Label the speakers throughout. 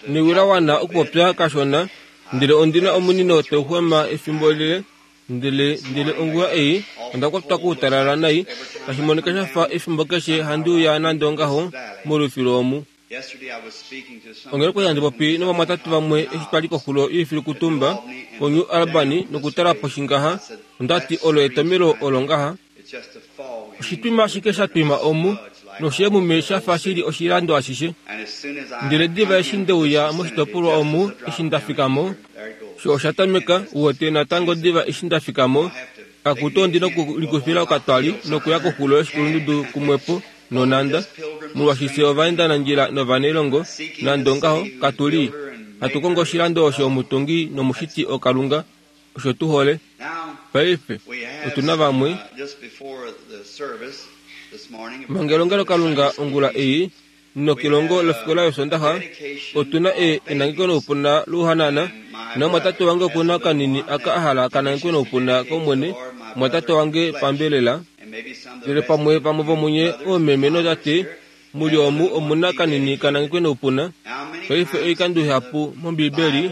Speaker 1: Newi la wana okupopya kashona, ndele ondi na omunino tau xwama efimbo lile, ndele, ndele ongula ei onda kwatwa koutalala nai, tashi monika sha fa efimbo keshe handi uya nande ongaho molufilu omu. Onghee okwali handi popi novamwatate vamwe eshi twali koxulo yoifilukutumba koNew Albany nokutala poshi ngaha, onda ti olo etomelo olo ngaha. Oshitwima ashike sha twima omu, nosheemume sha fa shi li oshilando ashishe. Ndele diva eshi nde uya moshitopolwa omu, eshi nda fika mo, sho osha tameka, uwete, natango diva eshi nda fika mo, akutu ondi nokulikufila okatwali nokuya koxulo yoshikulundudu kumwepo nonhanda, molwaashi fye ovaendanandjila novanailongo, nande ongaho, katu li hatu kongo oshilando osho omutungi nomushiti oKalunga. Osho tu hole. Paife, otu na vamwe. Manga elongelokalunga ongula ei, nokelongo lofikola yOsondaxa, otu na e, enangeko noupuna louhanana. Namumwatate wange oku na kanini aka a hala ka nangekwe noupuna kOmwene, mumwatate wange pambelela. Ndele pamwe vamwe vomunye oomeme nootate mu li omu omu na kanini ka nangekwe noupuna. Paife oikando ihapu mOmbiibeli,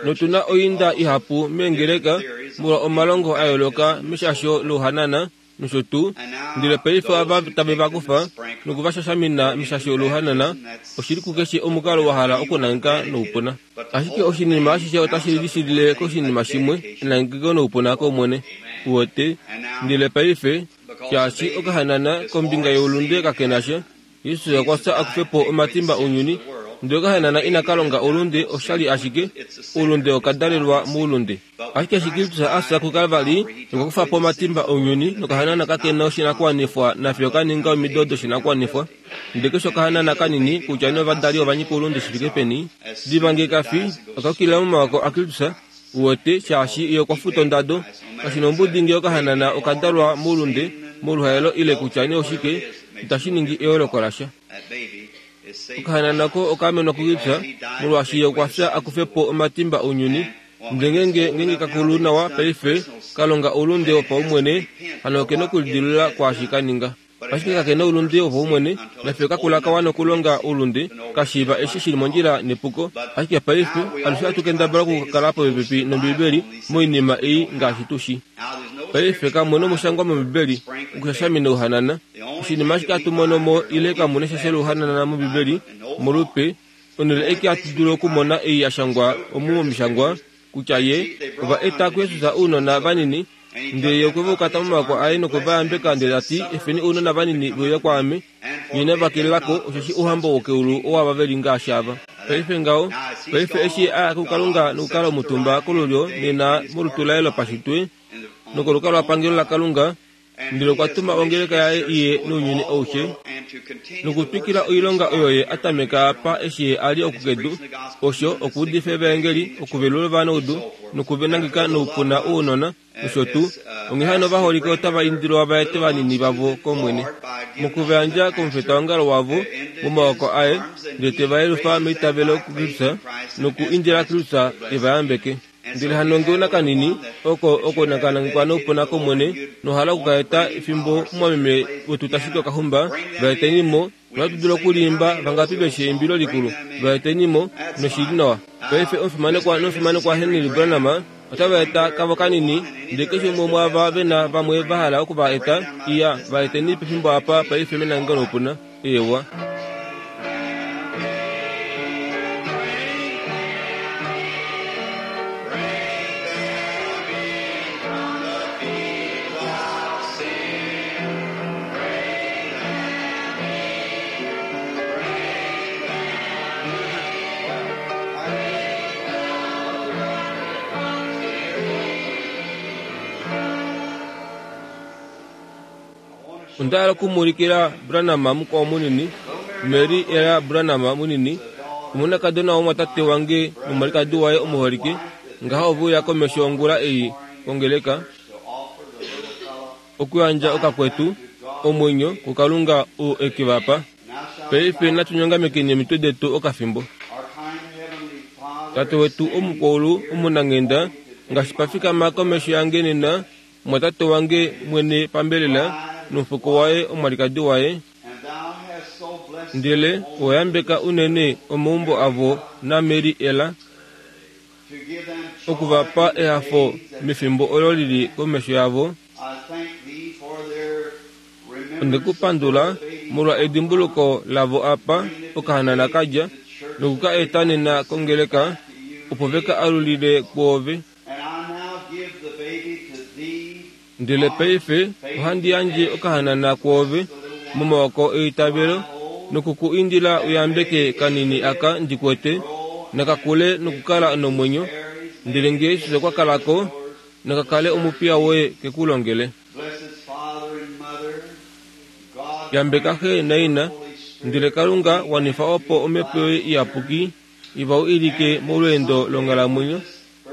Speaker 1: notu na oinda ihapu meengeleka molwa omalongo a yooloka meshasho louhanana nosho tuu, ndele paife ava tave va kufa noku va shashamina meshasho louhanana, oshi li kukeshe omukalo wa hala okunangeka noupuna. Ashike oshinima ashishe otashi lishilile koshinima shimwe, enangeko noupuna kOmwene. Uwete? Ndele paife, shaashi okahanana kombinga youlunde kake na sha, Jesus okwa fya a kufe po omatimba ounyuni, ndele okahanana inaka longa oulunde, osha li ashike oulunde oka dalelwa moulunde. Ashike eshi Kristus a fya kuKalvari nokwa kufa po omatimba ounyuni, nokahanana kake na oshinakuwanifwa nafye oka ninga omido doshinakuwanifwa. Ndele keshe okahanana kanini, kutya nee ovadali ova nyika oulunde shi fike peni, diva nge ka fi, oka yukilila momaoko aKristus, Uwete, shaashi ye okwa futa ondado. Kashi na ombudi ngee okahanana oka dalwa moulunde, moluhaelo ile kutya nee oshike, itashi ningi eyooloko lasha. Okahanana oko oka amenwa kuKristus, molwaashi ye okwa fya a kufe po omatimba ounyuni. Ndele ngeenge, ngeenge ka kulu nawa paife, ka longa oulunde wopaumwene, hano oke nokulidilulula kwaashi ka ninga. Ashike kake na oulunde wopaumwene, nafye kakula ka wana okulonga oulunde, ka shiiva eshi shi li mondjila nepuko. Ashike paife, alushe ohatu kendabala okukala popepi nOmbibeli moinima ei ngaashi tu shi. Paife, kamu na omushangwa mOmbibeli okushashamina ouhanana. Oshinima ashike hatu mono mo ile kamu na eshasho louhanana mOmbibeli, molupe, onhele aike hatu dulu okumona ei ya shangwa omu mOmishangwa, kutya Ye ova eta kuJesus ounona vanini, ndele Ye okwe va ukata momaoko aye nokwe va yambeka ndele ta ti, Efeni ounona vanini ve uye kwaame, nye inamu va kelela ko, osheshi ouhamba wokeulu owaava ve li ngaashi ava. Paife ngaho, paife eshi Ye a ya kuKalunga nokukala omutumba kolulyo nena molutu laye lopashitwe nokolukalwapangelo laKalunga, Ndele okwa tuma ongeleka yaye i ye nounyuni aushe, nokutwikila oilonga oyo ye a tameka apa eshi ye a li oku kedu, osho, okuudifa evaengeli, okuvelula ovanaudu, nokuvenangeka noupuna ounona, nosho tuu. Onghee hano ovaholike otava indilwa va ete vanini vavo kOmwene, moku va yandja komufitaongalo wavo momaoko aye, ndele te va yelufa meitavelo kuKristus, noku indila Kristus e va yambeke. Ndele hano nge u na kanini, oko oko naka nangekwa noupuna kOmwene, nowa hala oku ka eta fimbo mumwameme wetu ta shiki okahumba, va eteni mo, nohatu dulu oku li imba vangapi ve shi eimbilo likulu, va eteni mo, noshi li nawa. Paife omufimanekwa nomufimanekwa Henry Branham otava eta kavo kanini, ndele keshe umwe womwaava ve na vamwe va hala oku va eta, iya, va eteni pefimbo apa paife menangeko noupuna. Eewa. Onda hala oku mu ulikila Branham mukwao munini, Mary Ella Branham munini, omonakadona womumwatate wange nomwalikadi waye omuholike, ngaha ove uya komesho ongula ei kongeleka, okuyandja okakwetu, omwenyo, kuKalunga oo e ke va pa. Paife natu nyongamekeni omitwe detu okafimbo. Tate wetu Omukwaulu omunanghenda, ngaashi pa fikama komesho yange nena, Omumwatate wange mwene pambelela, nomufuko waye omwalikadi waye. Ndele owa yambeka unene omaumbo avo naMary Ella, oku va pa ehafo mefimbo olo li li komesho yavo. Onde ku pandula molwa edimbuluko lavo apa okahanana ka dja, noku ka eta nena kongeleka, opo ve ka alulile kwoove. Ndele paife ohandi yandje okahanana kwoove momaoko eitavelo noku ku indila u yambeke kanini aka ndi kwete, naka kule nokukala nomwenyo, ndele nge Jesus okwa kala ko, naka kale omupiya woye ke ku longele. Yambeka xe naina, ndele Kalunga wanifa opo Omhepo yoye Iyapuki i va wilike molweendo longhalamwenyo.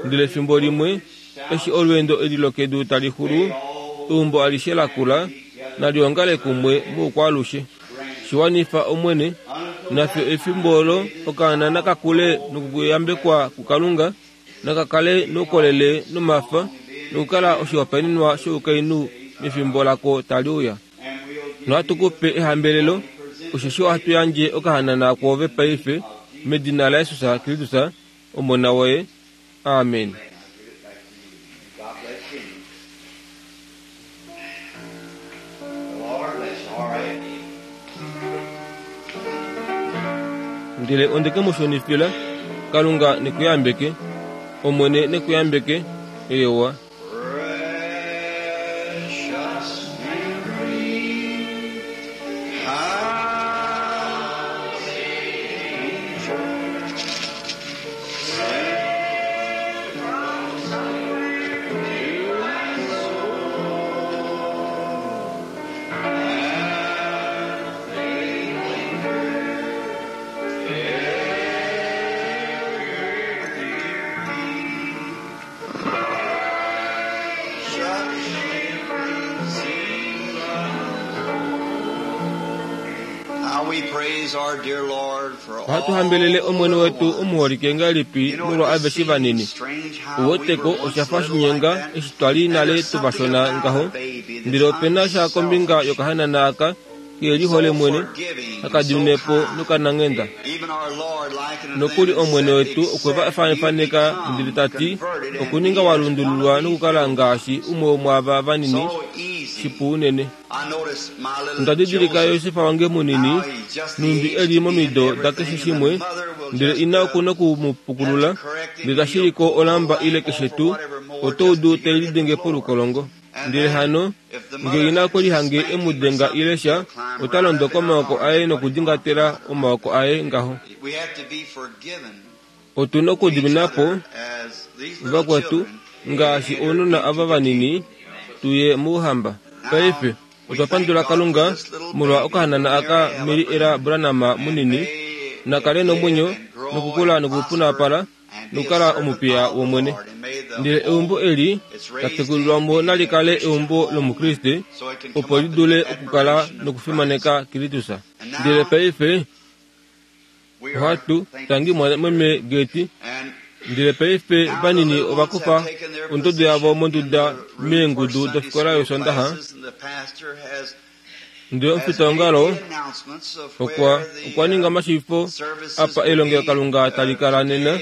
Speaker 1: Ndele fimbo limwe, eshi olweendo eli lokedu tali xulu, eumbo alishe lakula nali ongale kumwe moukwaalushe. Shi wanifa, Omwene, nafyo efimbo olo okaana naka kule nokuyambekwa kuKalunga, naka kale noukolele nomafa, nokukala oshihopaenenwa shoukainhu mefimbo lako tali uya. Nohatu ku pe ehambelelo, osheshi ohatu yandje okahanana kwoove paife, medina laJesus Kristus, Omona woye. Amen. Ndele onde ke mu shunifila. Kalunga ne ku yambeke. Omwene ne ku yambeke. Eewa. Ohatu hambelele Omwene wetu omuholike ngahelipi molwa aveshe vanini. U weteko, osha fa shinyenga eshi twa li nale tu va shona ngaho. Ndele ope na sha kombinga yokahanana aka ke lihole mwene, haka dimine po nokananghenda. Nokuli Omwene wetu okwe va faneka ndele ta ti, Okuninga wa lundululwa nokukala ngaashi umwe womwaava vanini, shipu unene. Onda didilika Josef wange munini, nhumbi e li momido dakeshe shimwe, ndele ina oku noku mu pukulula, ndele ta shili ko olamba ile keshe tuu, oto udu tai lidenge polukolongo. Ndele hano, nge ina okwe lihange e mu denga ile sha, ota londo komaoko aye nokudingatela omaoko aye ngaho. Otu na okudimina po vakwetu ngaashi ounona ava vanini tu ye mouhamba. Paife, otwa pandula Kalunga molwa okahanana aka Mary Ella Branham munini, na kale nomwenyo nokukula nokupunapala nokukala omupiya wOmwene. Ndele eumbo eli la tekulilwa mo nali kale eumbo lOmukriste, opo li dule okukala nokufimaneka Kristus. Ndele paife ohatu tangi meme Geti. Ndele paife vanini ova kufa ondodo yavo monduda meengudu dofikola yOsondaxa. Ndele omufitaongalo okwa okwa ninga omashiivifo apa elongelokalunga tali kala nena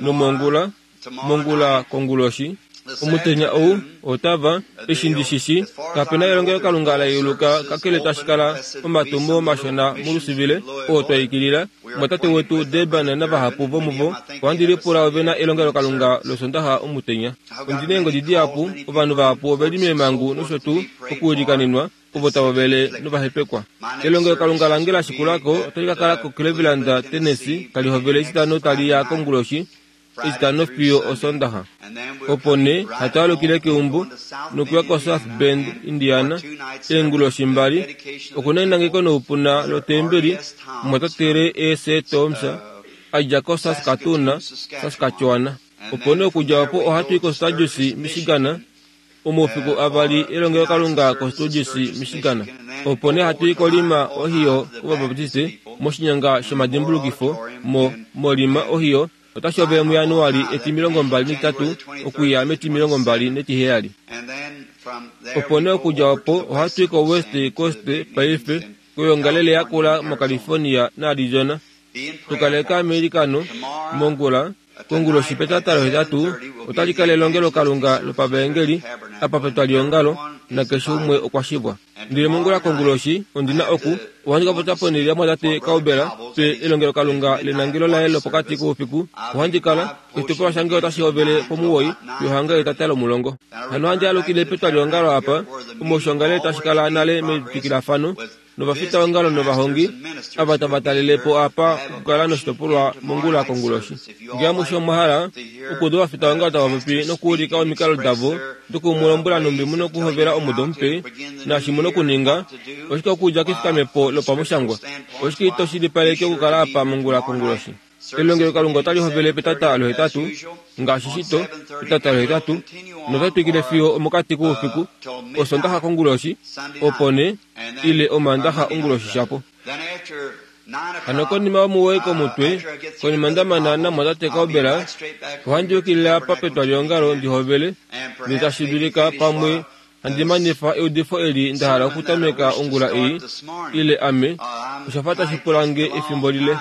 Speaker 1: nomongula, mongula konguloshi. Omutenya ou otava, eshi ndi shi shi, kape na elongelokalunga la yeuluka kakele tashi kala omatumo mashona muLusivile oo twa ikilila. Omwatate wetu Durban navahapu vomuvo, ohandi lipula ove na elongelokalunga lOsondaxa omutenya. Ondi na eengodi dihapu, ovanhu vahapu ove li meemhangu nosho tuu okuilikanenwa, ovo tava vele novahepekwa. Elongelokalunga lange la shikula ko otali ka kala koCleveland, Tennessee, tali hovele Etitano tali ya konguloshi, Etitano fiyo Osondaxa. Opo nee hatu alukile keumbo nokuya koSouth Bend, Indiana, eenguloshi mbali, oku na enangeko noupuna lotembeli, omumwatate Ray A. C. Thoms, a dja koSaskatoon, Saskatchewan. Opo nee okudja opo ohatu i koSturgis, Michigan, omaufiku avali elongelokalunga koSturgis, Michigan. Opo nee hatu i koLima, Ohio, kOvabaptiste, moshinyanga shomadimbulukifo, mo, moLima, Ohio, otashi hovele muJanuali etimilongombali-netitatu okuya metimilongombali-netiheyali. Opo nee okudja opo ohatu i koWest Coast paife. Koyoongalele yakula moCalifornia naArizona. Tukaleka meilikano mongula konguloshi petata lohetatu otali kala elongelokalunga lopavaengeli apa petwaliongalo nakeshe umwe okwa shivwa. Ndele mongula konguloshi ondi na oku ohandi ka popya ponhele yamwatate Cowbell pe elongelokalunga lenangelo laye lopokati koufiku. Ohandi kala oshitopolwa shange otashi hovele pomuwoi fiyo hanga etata lomulongo. Hano ohandi alukile petwaliongalo apa omo oshoongalele tashi kala nale metwikilafano novafitaongalo novahongi ava tava talele po apa okukala noshitopolwa mongula konguloshi. Ngee amushe omwa hala okuuda ovafitaongalo tava popi nokuulika omikalo davo doku mu lombwela nhumbi mu na okuhovela omudo mupe naashi mu na okuninga, oshike okudja kefikamepo lopamushangwa? Oshike ito shilipaleke okukala apa mongula konguloshi? Elongelokalunga otali hovele petata lohetatu, ngaashi shito, petata lohetatu, nota twikile fiyo omokati koufiku, Osondaxa konguloshi, opo nee, ile Omaandaxa onguloshi shapo. Hano konima yomuwoi komutwe, konima nda mana namwatate Cowbell, ohandi yukilile apa petwaliongalo ndi hovele, ndele tashi dulika pamwe Handi manifa eudifo eli nda hala okutameka ongula ei, ile ame, osha fa tashi pula nge efimbo lile.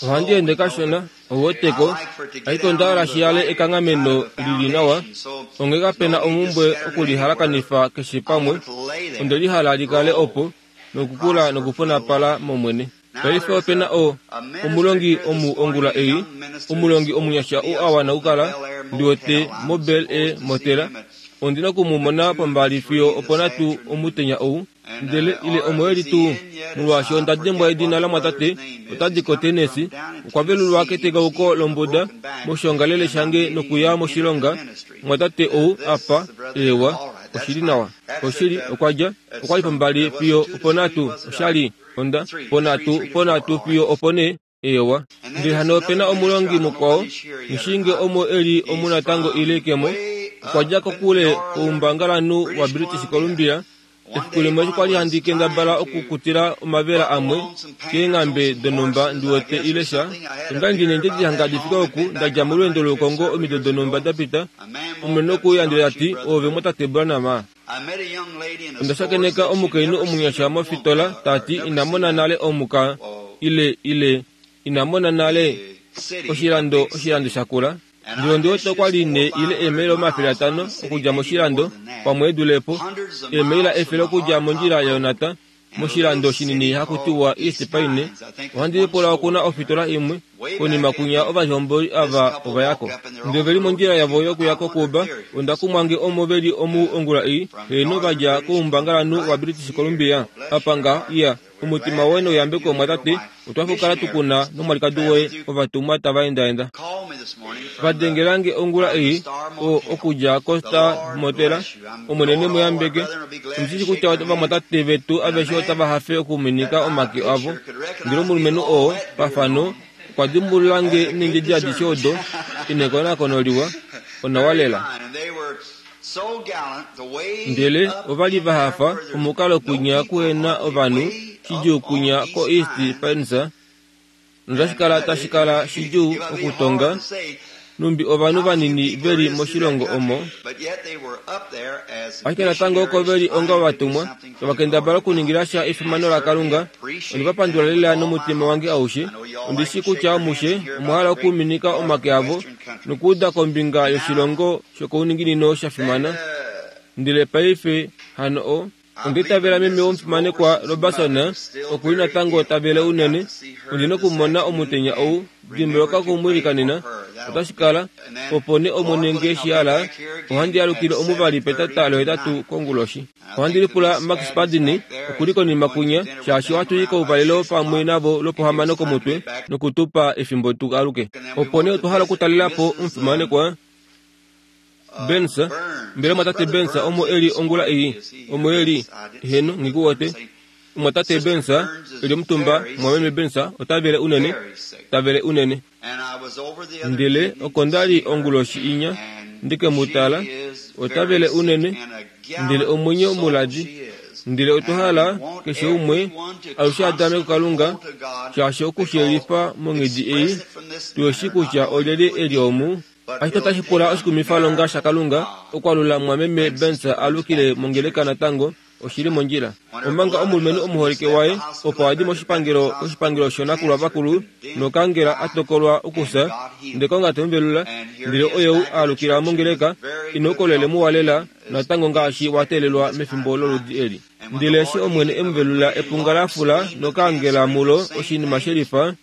Speaker 1: Ohandi ende kashona, ou weteko, ashike onda hala shi yale ekanghameno li li nawa, onghee kape na omhumbwe okulihalakanifa keshe pamwe. Onde li hala li kale opo, nokukula nokupunapala mOmwene. Paife ope na o, omulongi omu ongula ei, omulongi omunyasha ou a wana okukala, ndi wete, moBel Air Motela. Ondi na oku mu mona pombali fiyo oponhatu omutenya ou. Ndele, ile omo e li tuu, molwaashi onda dimbwa edina lamwatate, ota di koTennessee, okwa velulwa ketekauko lombuda moshiongalele shange nokuya moshilonga, mwatate ou apa, eewa, oshi li nawa. Oshili, okwa dja, okwa li pombali fiyo oponhatu, osha li. Onda, ponhatu, ponhatu fiyo opo nee, eewa. Ndele hano ope na omulongi mukwao, nghishinge omo e li omu natango ile ke mo, okwa dja kokule koumbangalanhu waBritish Columbia. Efiku limwe eshi kwa li handi kendabala okukutila omavela amwe keenghambe donhumba ndi wete ile sha, onda li ndi neendjedi hanga di fike oku, nda dja molweendo loukongo omido donhumba da pita, omulumenhu okwe uya ndele ta ti, Oove mwatate Branham? Onda shakeneka omukainhu omunyasha mofitola ta ti ina mona nale omuka ile ile ina mona nale oshilando oshilando shakula. Ndele ondi wete okwa li ne ile eemaila 500 okudja moshilando, pamwe e dule po, eemaila 100 okudja mondjila yaYonata, Moshilando shinini haku tiwa East Pine, ohandi lipula oku na ofitola imwe. Konima kwinya ovalihomboli ava ova ya ko. Ndele ove li mondjila yavo yokuya koCuba. Onda kumwa nge omo ve li omu ongula ei, heeno va dja koumbangalanhu waBritish Columbia. Apa ngaha, iya, omutima woye nouyambeko omwatate, otwa fukala tu ku na nomwalikadi woye, ovatumwa tava endaenda. Va dengela nge ongula ei, o, okudja koStar Motel. Omwene ne mu yambeke. Ondi shi kutya ovamwatate vetu aveshe otava hafe okuminika omake avo. Ndele omulumenhu oo, pafano, okwa dimbulula nge neendjedi adishe odo, inekonakono liwa, onawa lela. Ndele ova li va hafa omukalo kwinya kuhena ovanhu, shidjuu kwinya koEast Pines, notashi kala tashi kala shidjuu okutonga nhumbi ovanhu vanini ve li moshilongo omo. Ashike natango oko ve li onga ovatumwa, tava kendabala okuningila sha efimano laKalunga. Onde va pandula lela nomutima wange aushe. Ondi shii kutya amushe omwa hala okuminika omake avo nokuuda kombinga yoshilongo shokouninginino sha fimana. Ndele paife hano o. Onda itavela meme womufimanekwa Robertson oku li natango ta vele unene. Ondi na okumona omutenya ou. Dimbuluka oku mu ilikanena. Otashi kala. Opo nee Omwene nge shi hala, ohandi alukile omuvali petata lohetatu konguloshi. Ohandi lipula Max Padney oku li konima kwinya, shaashi ohatu i kouvalelo pamwe navo lwopohamano komutwe noku tu pa efimbo tu aluke. Opo nee otwa hala okutalela po omufimanekwa Burns, mbela omwatate Burns omo e li ongula ei? Omo e li? Heeno, nghi ku wete. Omwatate Burns e li omutumba, mwameme Burns ota vele unene, ta vele unene. Ndele oko nda li onguloshi inya, ndi ke mu tala, ota vele unene, ndele omwenyo muladi. Ndele otwa hala keshe umwe alushe a dame kuKalunga, shaashi oku shi yelifa monghedi ei, tu shi kutya olyelye e li omu. Ashike otashi pula oshikumifalonga shaKalunga okwalula mumwameme Burns a alukile mongeleka natango. Oshi li mondjila. Omanga omulumenhu omuholike waye opo a di moshipangelo koshipangelo shoonakulwa vakulu nokangela a tokolwa okufya, ndele Kalunga te mu velula, ndele oye ou a alukila mongeleka i na oukolele muwa lela natango ngaashi wa teelelwa mefimbo loludi eli. Ndele eshi Omwene e mu velula epunga la fula nokangela mulo oshinima she lifa,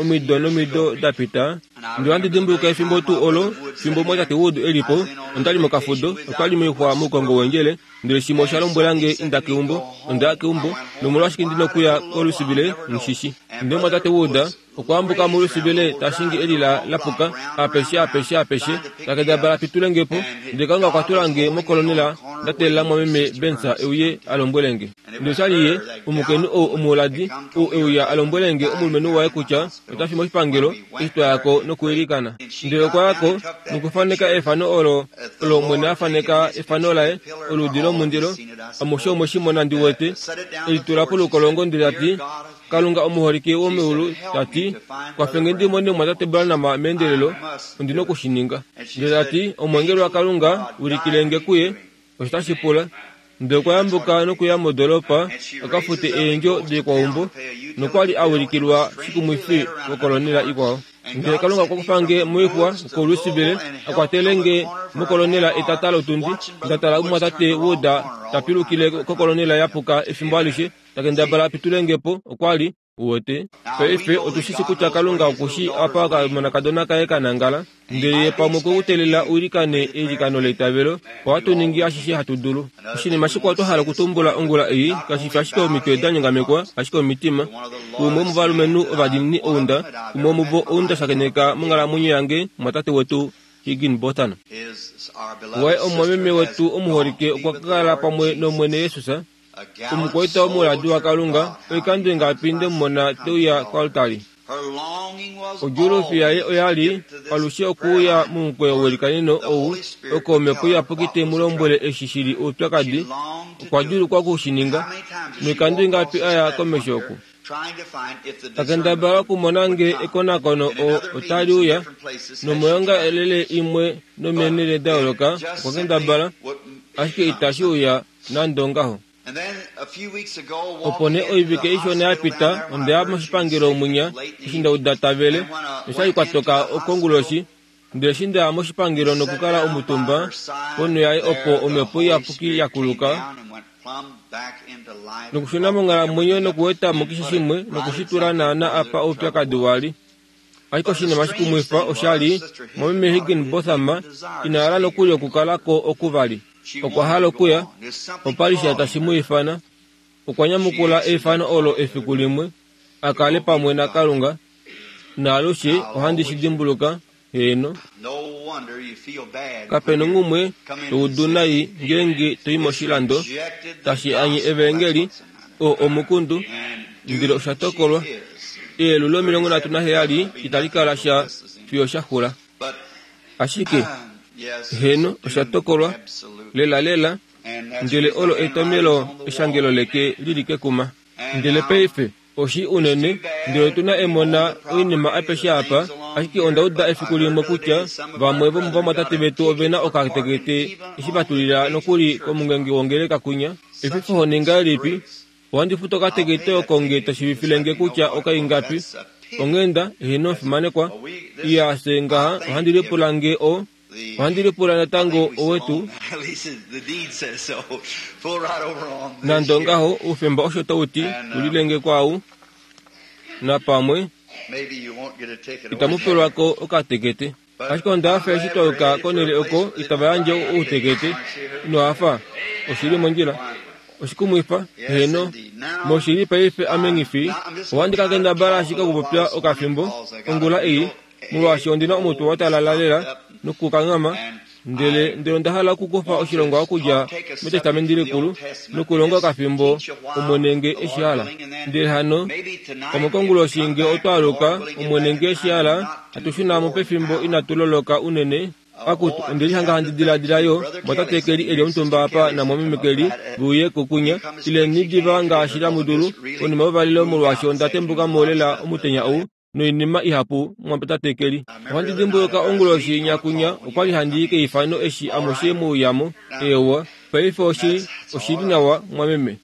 Speaker 1: Omido nomido da pita, ndele ohandi dimbuluka efimbo tuu olo, fimbo Mwatate Wood e li po, onda li mokafudo, otwa li moixwa moukongo weendjele, ndele shimwe osha lombwela nge inda keumbo. Onda ya keumbo, nomolwashike ndi nokuya koLouisville, nghi Ndele Mwatate Wood okwa ambuka muLouisville ta shingi elila la puka, apeshe, apeshe, apeshe, ta kendabala a pitule nge po. Ndele Kalunga okwa tula nge mokolonela, nda teelela Mwameme Banks e uye a lombwele nge. Ndele osha li ye, omukainhu ou omuuladi, ou e uya a lombwele nge omulumenhu waye kutya ota fi moshipangelo, eshi twa ya ko nokuilikana. Ndele okwa ya ko nokufaneka efano olo, olo Omwene a faneka efano laye, oludi lomundilo, amushe omwe shi mona ndi wete, e li tula polukolongo ndele ta ti, Kalunga omuholike womeulu, ta ti, kwafe nge ndi mone omumwatate Branham meendelelo, ondi noku shi ninga. Ndele ta ti, Omweengeli waKalunga, ulikile nge kuye, Osho tashi pula. Ndele okwa yambuka nokuya modoolopa a ka fute eendjo doikwaumbo, nokwa li a wilikilwa shikumwifi kokolonela ikwao. Ndele Kalunga okwa kufa nge moixwa koLouisville a kwatele nge mokolonela etata lotundi, nda tala omumwatate Wood ta pilukile kokolonela ya puka efimbo alishe, ta kendabala a pitule nge po. Okwa li Uwete? Paife otu shi shi kutya Kalunga oku shii apa okamonakadona kaye ka nangala, ndele ye pamwe okwe ku teelela u ilikane eilikano leitavelo, ohatu ningi ashishe hatu dulu. Oshinima shikwao twa hala okutumbula ongula ei, kashi fi ashike omitwe da nyongamekwa, ashike omitima. Umwe womovalumenhu ovadiinini ou nda, umwe womuvo ou nda shakeneka monghalamwenyo yange, omumwatate wetu Higginbotham. Waye omumwameme wetu omuholike okwa kala pamwe nOmwene Jesus, Omukwaita omuladi waKalunga, oikando ingapi nde mu mona te uya koaltari? Odjuulufi yaye oya li alushe okuuya momukweyo welikaneno ou, oko Omhepo Iyapuki te mu lombwele eshi shi li oupyakadi. Okwa djuulukwa oku shi ninga. Noikando ingapi a ya komesho oku? Ta kendabala okumona nge ekonakono otali uya, nomoyoongalele imwe nomeenhele da yooloka okwa kendabala, ashike itashi uya nande ongaho. Opo nee oivike ishona ya pita onde ya moshipangelo mwinya eshi nda uda ta vele, noshali kwa toka konguloshi. Ndele eshi nda ya moshipangelo nokukala omutumba ponho yaye opo Omhepo Iyapuki ya kuluka nokushuna monghalamwenyo nokuweta mo keshe shimwe noku shi tula naana apa oupyakadi wa li. Ashike oshinima shikumwifa osha li, Mwameme Higginbotham ina hala nokuli okukala ko oku vali. Okwa hala okuya. Opa li sha tashi mu ifana. Okwa nyamukula eifano olo efiku limwe, a kale pamwe naKalunga. Naalushe ohandi shi dimbuluka, heeno. Kape nongumwe to udu nai ngeenge to i moshilando tashi anye evaengeli, oo omukundu, ndele osha tokolwa. Eyelu lomilongo nhatu naheyali itali kala sha fiyo sha xula. Ashike, heeno, osha tokolwa, lelalela, ndele olo etomelo eshangelo leke li li kekuma. Ndele paife, oshi unene, ndele otu na emona oinima apeshe apa, ashike onda uda efiku limwe kutya vamwe vomovamwatate vetu ove na okatekete eshi va tulila nokuli komungenge wongeleka kwinya. Efifo ho ngahelipi? Ohandi futu okatekete oko nge to shiivifile nge kutya okaingapi. Onghenda, eheno omufimanekwa. Iya, fye ngaha, ohandi lipula nge o, ohandi lipula natango owetu. Nande ongaho, oufemba osho tau ti, tulile nge kwaau. Napamwe, itamu pelwa ko okatekete. Ashike onda hafa eshi twa yuka konhele oko itava yandje outekete. Ino hafa? Oshi li mondjila. Oshikumwifa, heeno. Moshili paife ame nghi fi. Ohandi ka kendabala ashike okupopya okafimbo, ongula ei, molwaashi ondi na omutwe wa talala lela nokukanghama, ndele, ndele onda hala okukufa oshilongwa okudja mEtestamenti Likulu nokulonga okafimbo, Omwene nge e shi hala. Ndele hano, pamwe konguloshi nge otwa aluka, Omwene nge e shi hala, hatu shuna mo pefimbo inatu loloka unene. Akutu, onde lihanga handi diladila yo, mwatate Kelly e li omutumba apa namwameme Kelly, ve uye ko kunya. Ileni diva ngaashi tamu dulu, konima youvalelo molwaashi onda tembuka mo lela omutenya ou, noinima ihapu, mwatate Kelly. Ohandi dimbuluka onguloshi inya kunya, okwa li handi i keifano eshi amushe mu uya mo. Eewa. Paife oshi, oshi li nawa, mwameme.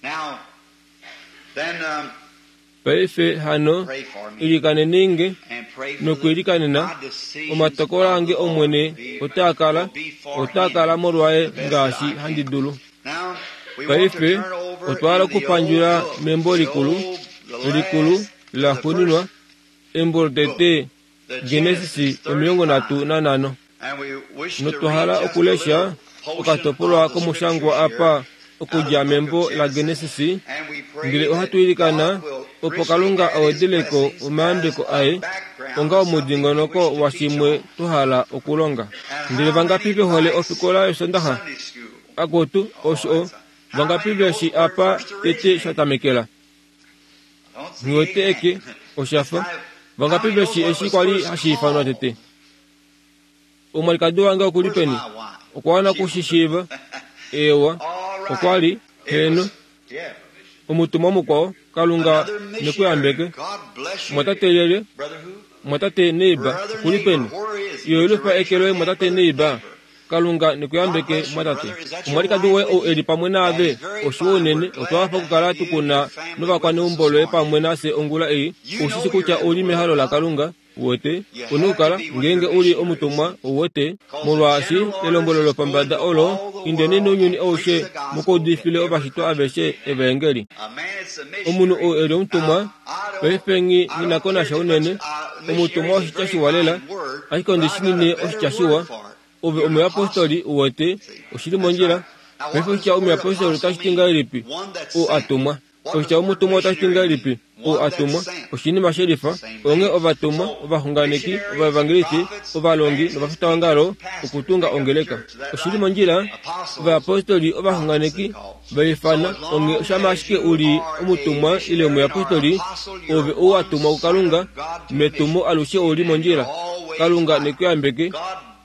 Speaker 1: Paife hano, ilikaneni nge, nokuilikanena, omatokolo ange Omwene otaa kala, otaa kala molwaye ngaashi handi dulu. Paife otwa hala okupandjula membo likulu, likulu laxuuninwa, embo lotete Genesis 35. Notwa hala okulesha okatopolwa komushangwa apa okudja membo laGenesis, ndele ohatu ilikana opo Kalunga a wedele ko omayambeko aye onga omudingonoko washimwe twa hala okulonga. Ndele vangapi ve hole ofikola yOsondaxa? Akutu, osho o. Vangapi ve shi apa tete sha tamekela? Nghiwete eke, osha fa. Vangapi ve shi eshi kwa li hashi ifanwa tete? Omwalikadi wange oku li peni? Okwa wana oku shi shiiva. Eewa, okwa li, heeno. Omutumwa mukwao, Kalunga ne ku yambeke. Mwatate lyelye? Mwatate Neighbor, oku li peni? Yolufa eke loye, Mwatate Neighbor. Kalunga ne ku yambeke, mwatate. Omwalikadi woye ou e li pamwe naave, oshiwa unene, otwa hafa okukala tu ku na novakwaneumbo loye pamwe nafye ongula ei. Ou shi shi kutya ou li mehalo laKalunga. Uwete, u na okukala, ngeenge u li omutumwa, uwete, molwaashi elombwelo lopombada olo, Indeni nounyuni aushe mu ka udifile ovashitwa aveshe evaengeli. Omunhu ou e li omutumwa, paife nghi na ko nasha unene, omutumwa oshitya shiwa lela, ashike ondi shi nine oshitya shiwa. Ove omuyapostoli, uwete, oshi li mondjila. Paife oshitya omuyapostoli otashi ti ngahelipi? Ou a tumwa. Oshitya omutumwa otashi ti ngahelipi? Ou a tumwa. Oshinima shelifa. Onghee ovatumwa, ovaxunganeki, ovaevangelisti, ovalongi novafitaongalo okutunga ongeleka. Oshi li mondjila? Ovayapostoli, ovaxunganeki, va ifana. Onghee shama ashike u li omutumwa ile omuyapostoli, ove ou wa tumwa kuKalunga, metumo alushe ou li mondjila. Kalunga ne ku yambeke.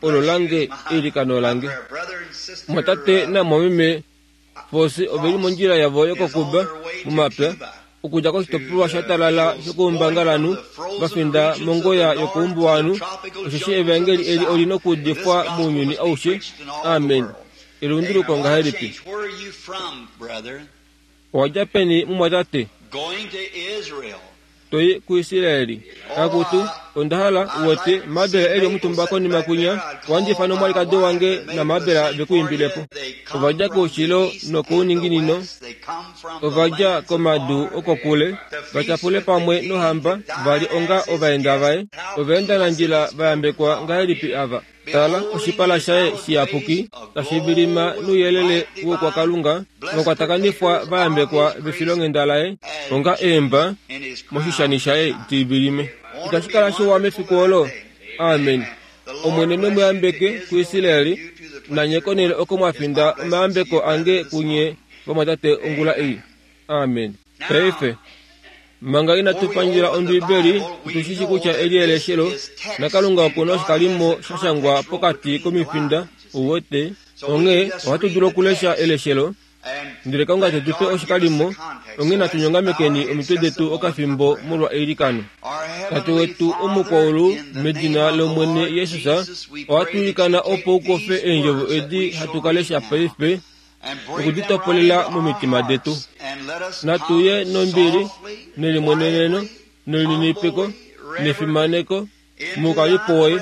Speaker 1: Olo lange eilikano lange. Mwatate namwameme Vosi ove li mondjila yavo yokoKuba, momapya, okudja koshitopolwa sha talala shokoumbangalanhu va finda mongoya yokoumbuwanhu, osheshi Evaengeli eli oli nokuudifwa mounyuni aushe. Amen. Elunduluko ngahelipi! Owa dja peni, mumwatate? To i kuIsraeli. Akutu, onda hala, uwete, Mabel e li omutumba konima kwinya, ohandi ifana omwalikadi wange naMabel ve ku imbile po. Ova dja koushilo nokouninginino, ova dja komadu okokule, va tyapule pamwe nohamba, va li onga ovaenda vaye. Ovaendanandjila va yambekwa ngahelipi ava! Tala, oshipala shaye shiyapuki tashi vilima nouyelele woukwakalunga, vakwatakanifwa va yambekwa vefilonghenda laye, onga eemba moshishani shaye di vilime. Itashi kala shiwa mefiku olo? Amen. Omwene ne mu yambeke kuIsraeli, nanye konhele oko mwa finda omayambeko ange kunye vamwatate ongula ei. Amen. Paife, manga inatu pandjela Ombibeli, otu shi shi kutya eli eleshelo, naKalunga oku na oshikalimo sha shangwa pokati komifinda, uwete. Onghee ohatu dulu okulesha eleshelo, ndele Kalunga te tu pe oshikalimo. Onghee natu nyongamekeni omitwe detu okafimbo molwa eilikano. Tate wetu omukwaulu, medina lOmwene Jesus, ohatu ilikana opo u kofe eendjovo edi hatu ka lesha paife, oku di topolela momitima detu. Natu ye nombili, nelimweneneno, nelininipiko, nefimaneko, moukalipo woye,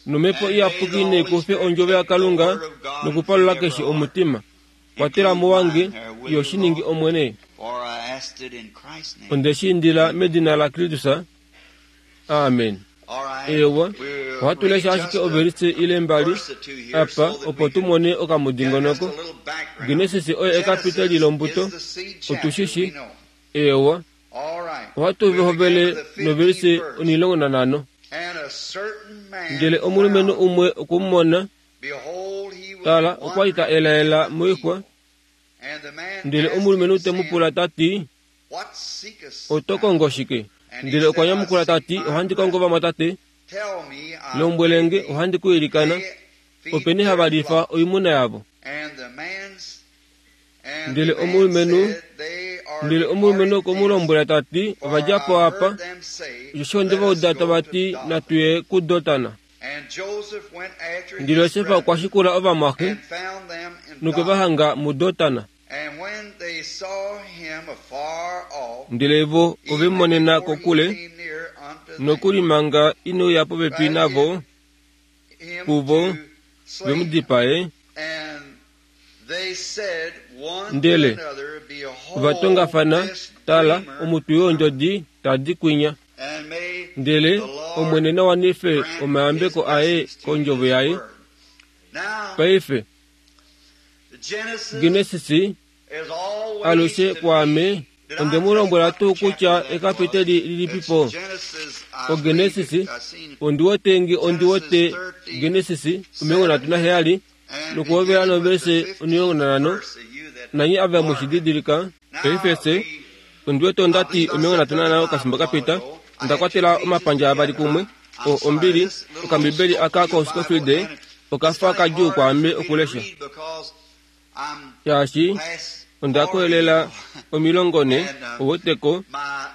Speaker 1: nomhepo iyapuki nai kufe ondjovo yaKalunga nokupalula keshe omutima. Kwatela mo wange, yo shi ningi Omwene. Onde shi indila medina laKristus. Amen. Eewa, ohatu lesha ashike ovelise ile mbali apa opo tu mone okamudingonoko. Genesis oye ekapiteli lombuto, otu shi shi. Eewa, ohatu hovele novelise 15. Ndele omulumenhu umwe okwe mu mona, tala, okwa li ta elaela moixwa. Ndele omulumenhu te mu pula ta ti, Oto kongo shike? Ndele okwa nyamukula ta ti, Ohandi kongo vamwatate. Lombwele nge, ohandi ku ilikana, openi hava lifa oimuna yavo? Ndele omulumenhu ndele omulumenhu okwe mu lombwela ta ti, Ova dja po apa, osheshi onde va uda tava ti, Natu ye kuDotan. Ndele Josef okwa shikula ovamwaxe. Nokwe va hanga muDotan. Ndele vo ove mu monena kokule, nokuli manga ine uya popepi navo, puvo ve mu dipae. Ndele ova tongafana, Tala, omutwi weendjodi ta di kwinya. Ndele Omwene na wanife omayambeko aye kondjovo yaye. Paife, Genesis alushe kwaame onde mu lombwela tuu kutya ekapiteli lilipipo? OGenesis, ondi wete nge ondi wete Genesis 37 nokuhovela novese 15, nanye ava mwe shi didilika. Paife fye, ondi wete onda ti 35 okafimbo ka pita, onda kwatela omapandja avali kumwe, o, ombili, okambibeli aka koScofield oka fa kadjuu kwaame okulesha. Shaashi onda koyelela 40, ouweteko,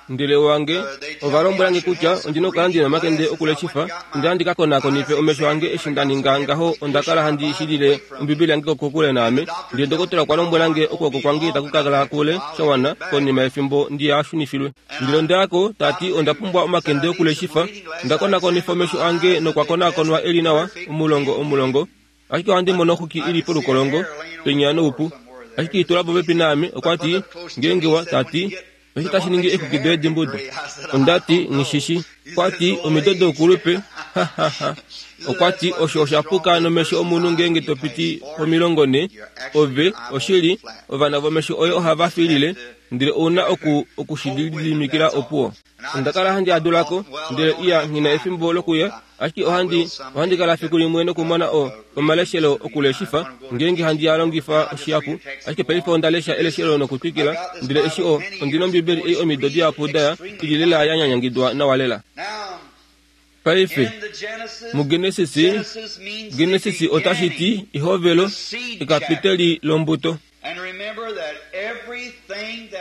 Speaker 1: ndele wange, ova lombwela nge kutya ondi na okukala ndi na omakende okuleshifa. Onda ya ndi ka konakonife omesho ange eshi nda ninga ngaho onda kala handi shilile Ombibeli yange kokule naame. Ndele dokotola okwa lombwela nge okwooko kwange itaku ka kala kule sha wana konima yefimbo ndi a shunifilwe. Ndele onda ya ko, ta ti onda pumbwa omakende okuleshifa. Onda konakonifa omesho ange nokwa konakonwa e li nawa, omulongo omulongo. Ashike ohandi mono oxuki i li polukolongo, penya noupu. Ashike i tula popepi naame, okwa ti, Ngeenge wa, ta ti, osho tashi ningi eexuki doye dimbuda. Onda ti, Nghi shi shi. Okwa ti, Omido doukulupe. Ha, ha, ha. Okwa ti, Osho osha puka nomesho omunhu ngeenge to piti pomilongonhe. Ove, oshili, ovana vomesho oye ohava fiilile, ndele ou na oku, oku shi lididimikila opuwo. Onda kala handi a dula ko, ndele iya nghi na efimbo lokuya, ashike ohandi, ohandi kala fiku limwe nokumona o, omaleshelo okuleshifa, ngeenge handi a longifa oshihapu. Ashike paife onda lesha eleshelo nokutwikila, ndele eshi o, ondi nOmbibeli ei omido dihapu da ya, i li lela ya nyanyangidwa nawa lela. Paife, muGenesis, Genesis otashi ti ehovelo, ekapiteli lombuto.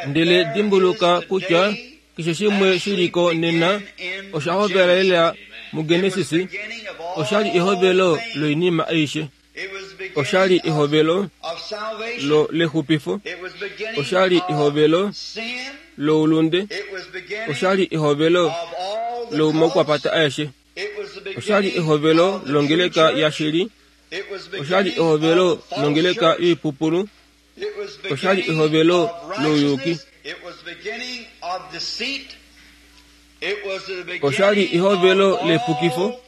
Speaker 1: Ndele dimbuluka kutya keshe shimwe shi li ko nena osha hovela lela muGenesis. Osha li ehovelo loinima aishe. Osha li ehovelo lo lexupifo. Osha li ehovelo loulunde. Osha li ehovelo lomaukwapata aeshe. Osha li ehovelo longeleka yashili. Osha li ehovelo longeleka yoipupulu. Osha li ehovelo louyuki. Osha li ehovelo lepukifo.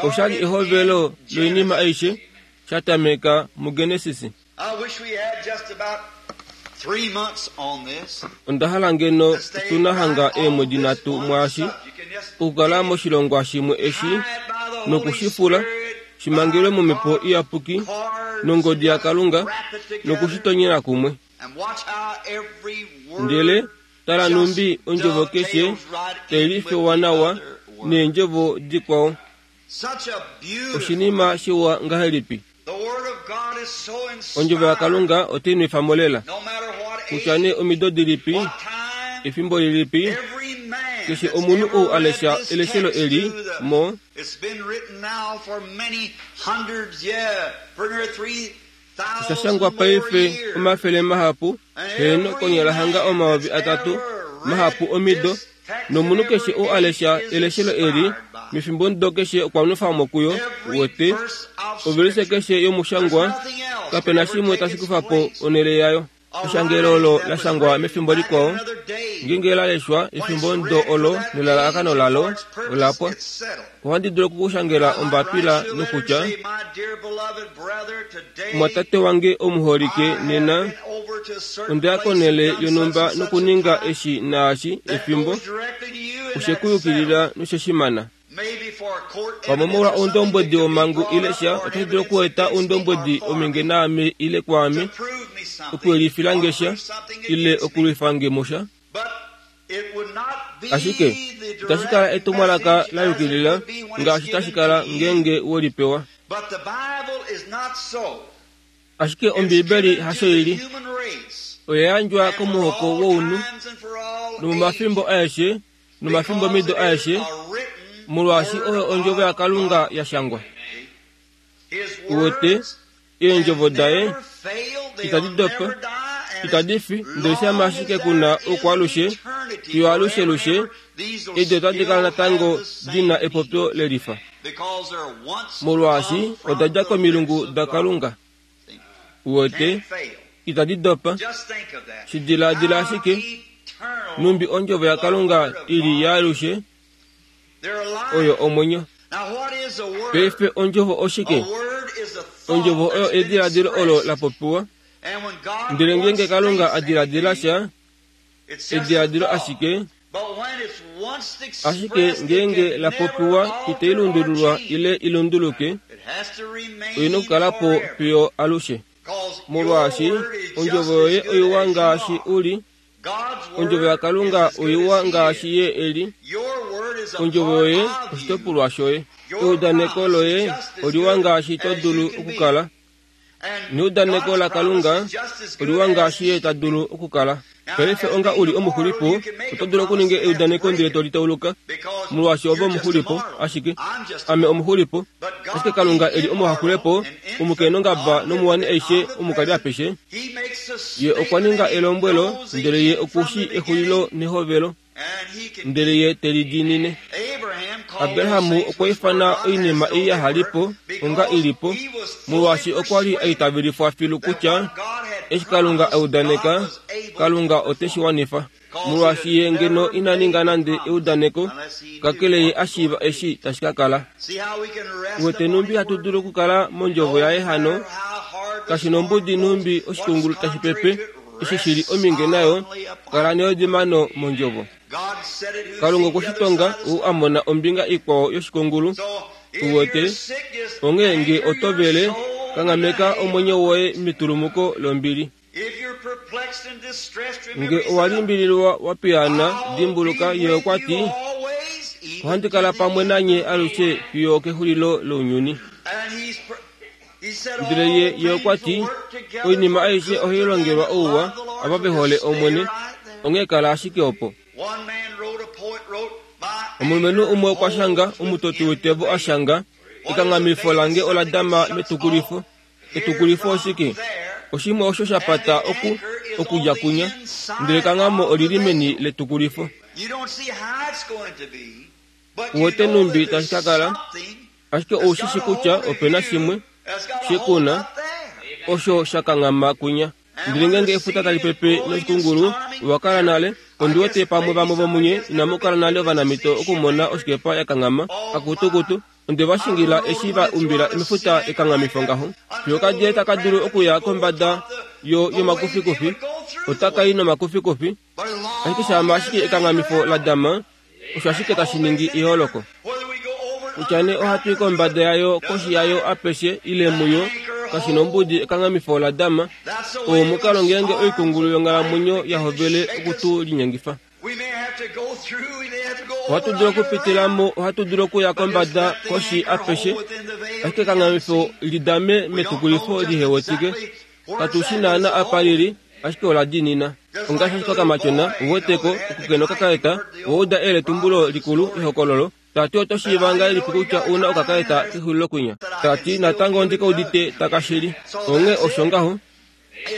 Speaker 1: Osha li ehovelo loinima aishe, sha tameka muGenesis. Onda hala ngeno tu na hanga eemwedi nhatu mwaashi, okukala moshilongwa shimwe eshi, noku shi fula, shi mangelwe mOmhepo Iyapuki nongodi yaKalunga, noku shi tonyela kumwe. Ndele tala nhumbi ondjovo keshe tai lifewa nawa neendjovo dikwao. Oshinima shiwa ngahelipi! Ondjovo yaKalunga otai nwefa mo lela. Kutya nee omido dilipi, efimbo lilipi, keshe omunhu ou a lesha eleshelo eli mo, Osha shangwa paife omafele mahapu, heeno konyala hanga 3000 mahapu omido, nomunhu keshe oo a lesha eleshelo eli mefimbomudo keshe okwa nwefa mo kuyo, wete, ovelise keshe yomushangwa, kape na shimwe tashi kufa po onhele yayo. Eshangelo olo la shangwa mefimbo likwao, ngeenge la leshwa efimbomudo olo nelalakano lalo ola pwa. Ohandi dulu oku ku shangela ombapila nokutya, Mumwatate wange omuholike, nena onda ya konhele yonhumba nokuninga eshi naashi efimbo, oshe ku yukilila noshe shi mana. Pamwe molwa oundombwedi womhangu ile sha, otashi dulu okweeta oundombwedi ominge naame ile kwaame, okuyelifila nge sha ile okulwifa nge musha. Ashike itashi kala etumwalaka la yukilila ngaashi tashi kala ngeenge we li pewa. Ashike Ombiibeli hasho i li. Oya yandjwa komuhoko wounhu nomomafimbo aeshe nomafimbomido aeshe, molwaashi oyo Ondjovo yaKalunga ya shangwa. Uwete? Eendjovo daye itadi dopa, itadi fi, ndele shama ashike ku na oukwaalushe, fiyo alushelushe, edi otadi kala natango di na epopyo lelifa. Molwaashi oda dja komilungu daKalunga. Uwete, itadi dopa. Shi diladila ashike, nhumbi Ondjovo yaKalunga i li yaalushe, oyo omwenyo. Paife ondjovo oshike? Ondjovo oyo ediladilo olo la popiwa. Ndele ngeenge Kalunga a diladila sha, ediladilo ashike, ashike ngeenge la popiwa itai lundululwa ile i lunduluke, oi na okukala po fiyo alushe. Molwaashi ondjovo yoye oiwa ngaashi u li, Ondjovo yaKalunga oiwa ngaashi Ye e li. Ondjovo yoye oshitopolwa shoye. Eudaneko loye oliwa ngaashi to dulu okukala. Neudaneko laKalunga oliwa ngaashi Ye ta dulu okukala. Paife onga u li omuxulipo, oto dulu okuninga eudaneko ndele to li tauluka, molwaashi ove omuxulipo, ashike ame omuxulipo. Ashike Kalunga e li omuhaxulepo, omukainongaba nomuwani aishe omukali apeshe, Ye okwa ninga elombwelo, ndele Ye oku shii exulilo nehovelo, ndele Ye te li diinine. Abraham okwa ifana oinima ei yaha li po onga i li po, molwaashi okwa li a itavelifwa filu kutya eshi Kalunga a udaneka, Kalunga ote shi wanifa. Molwaashi ye ngeno ina ninga nande eudaneko, kakele ye a shiiva eshi tashi ka kala. Uwete nhumbi hatu dulu okukala mondjovo yaye hano? Kashi nombudi nhumbi oshikungulu tashi pepe, eshi shi li ominge nayo, kala neodimano mondjovo. Kalunga okwe shi tonga, ou a mona ombinga ikwao yoshikungulu. Uwete? Onghee nge oto vele, kanghameka omwenyo woye metulumuko lombili. Nge owa limbililwa wa piyaana, dimbuluka, Ye okwa ti, Ohandi kala pamwe nanye alushe fiyo okexulilo lounyuni. Ndele ye, ye okwa ti, Oinima aishe ohai longelwa ouwa ava ve hole Omwene, onghee kala ashike opo. Omulumenhu umwe okwa shanga, omutoti woitevo a shanga, Ekanghamifo lange ola dama metukulifo. Etukulifo oshike? Oshimwe osho sha pata oku, okudja kunya, ndele kanghamo oli li meni letukulifo. Uwete nhumbi tashi ka kala, ashike ou shi shi kutya ope na shimwe, she ku na, osho sha kanghama kunya. Ndele ngeenge efuta tali pepe noshikungulu, owa kala nale, ondi wete pamwe vamwe vomunye inamu kala nale ovanamito okumona oshikepa ya kanghama, akutukutu, Onde va shingila eshi va umbila mefuta ekanghamifo ngaho. Fiyo okadila taka dulu okuya kombada yo, yomakufikufi, otaka i nomakufikufi. Ashike shaama ashike ekanghamifo la dama, osho ashike tashi ningi eholoko. Kutya nee ohatu i kombada yayo, koshi yayo, apeshe, ile muyo, kashi nombudi ekanghamifo la dama. Oo omukalo ngeenge oikungulu yonghalamwenyo ya hovele oku tu linyengifa. Ohatu dulu okupitila mo, ohatu dulu okuya kombada koshi apeshe, ashike kanghamifo li dame metukulifo li hewetike. Katu shi naana apa li li, ashike ola diinina. Ongaashi ashike okamatyona, uweteko, okukena okakaeta, owa uda eyeletumbulo likulu, ehokololo, ta ti oto shiiva ngahelipi kutya u na okakaeta kexulilo kwinya? Ta ti, natango ondi ka udite taka shili. Onghee osho ngaho.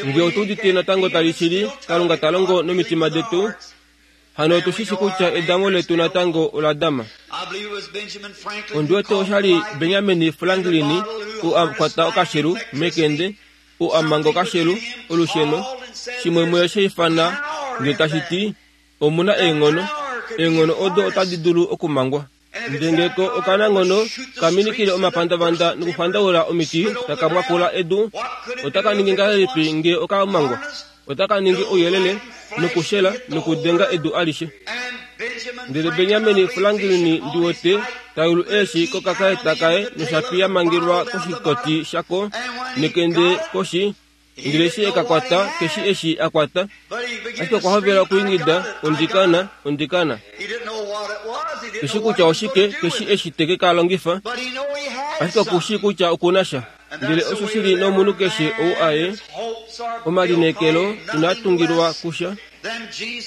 Speaker 1: Nge otu udite natango tali shili, Kalunga ta longo nomitima detu, hano otu shi shi kutya edamo letu natango ola dama. Ondi wete osha li Benjamin Franklin ou a kwata okashelu mekende, ou a manga okashelu, olusheno, shimwe muye sha ifana ndele tashi ti, Omu na eenghono, eenghono odo otadi dulu okumangwa. Ndele nge ko okananghono ka minikile omapandavanda nokuxwandaula omiti taka mwakula edu, otaka ningi ngahelipi nge oka mangwa? Otaka ningi ouyelele nokushela nokudenga edu alishe. Ndele Benyamin Franklin ndi wete ta yulu eeshi kokakaeta kaye noshapi ya mangelwa koshikoti shako nekende koshi, Ndele eshi e ka kwata, keshi eshi a kwata, ashike okwa hovela okwiingida, Ondikana, ondikana. Keshi kutya oshike, keshi eshi te ke ka longifa, ashike oku shii kutya oku na sha. Ndele osho shi li nomunhu keshe ou aye, omalineekelo inaa tungilwa kusha,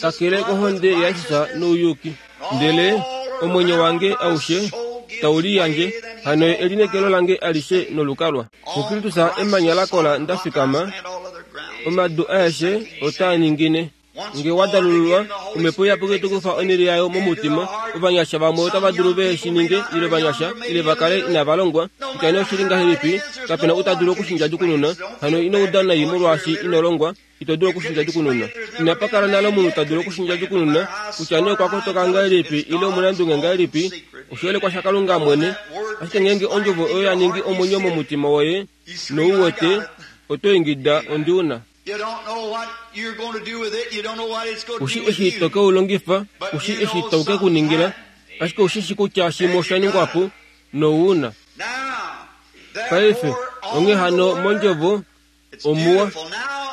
Speaker 1: kakele kohonde yaJesus nouyuki. Ndele omwenyo wange aushe tau liyandje. Hano ye elineekelo lange alishe nolukalwa. MuKristus emanya lakola nda fikama, omadu aeshe otaa ningine. Nge wa dalululwa, Omhepo Iyapuki te kufa onhele yayo momutima. Ovanyasha vamwe otava dulu ve shi ninge, ile ovanyasha, ile va kale inava longwa. Kutya nee oshi li ngahelipi, kape na ou ta dulu oku shi ndjadjukununa. Hano ino uda nai molwaashi ino longwa. Ito dulu oku shi ndjadjukununa. Inapa kala nale omunhu ta dulu oku shi ndjadjukununa, kutya nee okwa kotoka ngahelipi ile omunandunge ngahelipi. Oshiholekwa shaKalunga mwene. Ashike ngeenge Ondjovo oyo ya ningi omwenyo momutima woye, nou wete, oto ingida, Ondi u na. Ku shi eshi to ke u longifa, ku shi eshi tau ke ku ningila, ashike ou shi shi kutya shimwe osha ningwa po, nou u na. Paife, onghee hano, mOndjovo, Omuwa,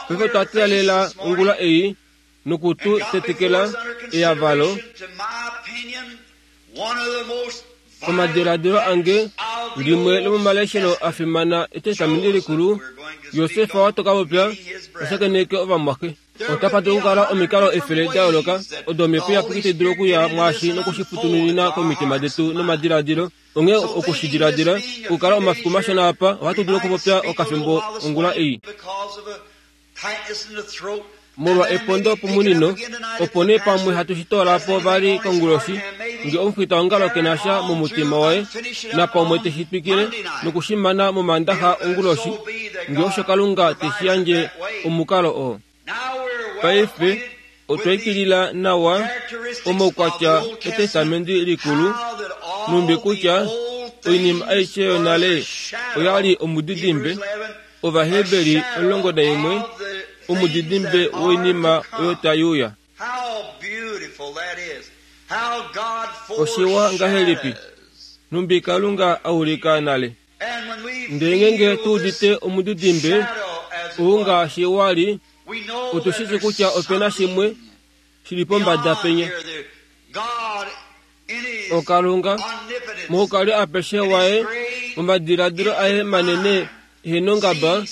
Speaker 1: paife otwa teelela ongula ei noku tu tetekela eyavalo. Pamadiladilo ange, limwe lomomaleshelo a fimana Etestamenti Likulu, Josef oto ka popya ta shakeneke ovamwaxe. Otapa dulu okukala omikalo efele da yooloka odo Omhepo Iyapuki tai dulu okuya mwaashi noku shi futununina komitima detu nomadiladilo. Onghee oku shi diladila, okukala omafiku mashona apa, ohatu dulu okupopya okafimbo ongula ei. Molwa epondo pomunino, opo nee pamwe hatu shi toola po vali konguloshi, nge omufitaongalo ke na sha momutima waye, napamwe te shi twikile noku shi mana mOmaandaxa onguloshi, nge osho Kalunga te shi yandje omukalo oo. Paife, otwa ikilila nawa omaukwatya Etestamenti Likulu, nhumbi kutya oinima aishe yonale oya li omudidimbe, Ovaheberi 11, omudidimbe woinima oyo tai uya. Oshiwa ngahelipi, nhumbi Kalunga a ulika nale! Ndele ngeenge tu udite omudidimbe ou ngaashi wa li, otu shi shii kutya ope na shimwe shi li pombada penya. Okalunga, moukali apeshe waye, momadiladilo aye manene ehe nongaba,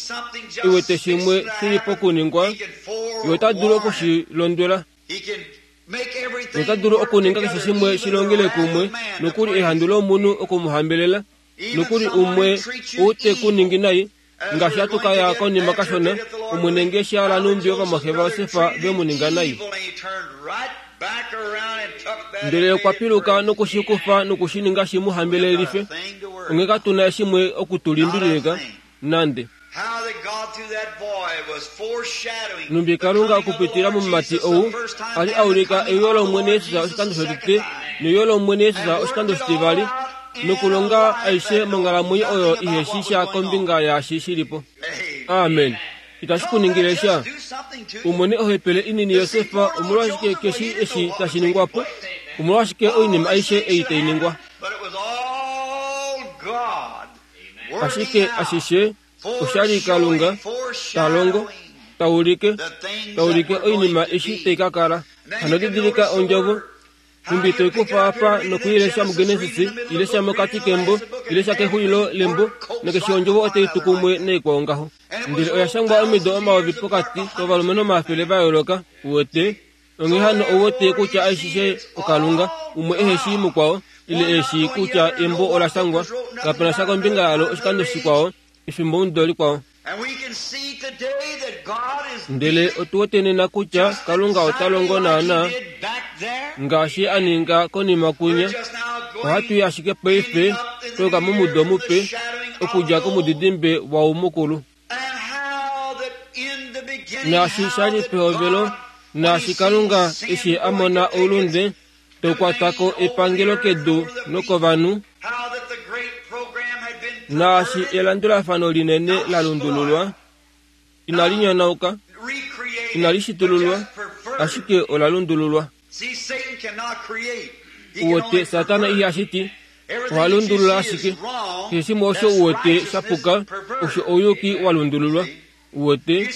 Speaker 1: e wete shimwe shi li pokuningwa, ye ota dulu oku shi londwela. Nota dulu okuninga keshe shimwe shi longele kumwe, nokuli ehandu lomunhu oku mu hambelela, nokuli umwe ou te ku ningi nai, Ngaashi hatu ka ya konima kashona, Omwene nge shi hala nhumbi ovamwaxe vaJosef ve mu ninga nai. Ndele okwa piluka noku shi kufa noku shi ninga shi mu hambelelife. Onghee katu na shimwe oku tu limbililika, nande. Nhumbi Kalunga okupitila momumati ou a li a ulika euyo lOmwene Jesus oshikando shotete neuyo lOmwene Jesus oshikando shitivali, nokulonga aishe monghalamwenyo oyo ihe shi sha kombinga yaashi shi li po. Amen. Itashi ku ningile sha. U mone ohepele inini Josef, omolwashike keshi eshi tashi ningwa po? Omolwashike oinima aishe ei tai ningwa? Ashike ashishe osha li Kalunga ta longo, ta ulike, ta ulike oinima eshi tai ka kala. Hano didilika ondjovo Nhumbi to i kufa apa noku i lesha muGenesis, i lesha mokati kembo, i lesha kexulilo lembo, nakeshe ondjovo otai tu kumwe naikwao ngaho. Ndele oya shangwa omido omayovi pokati kovalumenhu omafele va yooloka, uwete. Onghee hano ou wete kutya aishe oKalunga, umwe ehe shii mukwao, ile e shii kutya embo ola shangwa, kape na sha kombinga yalo oshikando shikwao, efimbomudo likwao. Ndele otu wete nena kutya Kalunga ota longo naanaa ngaashi a ninga konima kwinya. Ohatu i ashike paife twa momudo mupe okudja komudidimbe wau mukulu. Naashi sha li pehovelo, naashi Kalunga eshi a mona oulunde to kwata ko epangelo kedu nokovanhu, Naashi elandulafano linene la lundululwa, inali nyonauka, inali shitululwa, ashike ola lundululwa. Uwete, Satana iha shiti, oha lundulula ashike. Keshe shimwe osho uwete sha puka, osho ouyuki wa lundululwa. Uwete,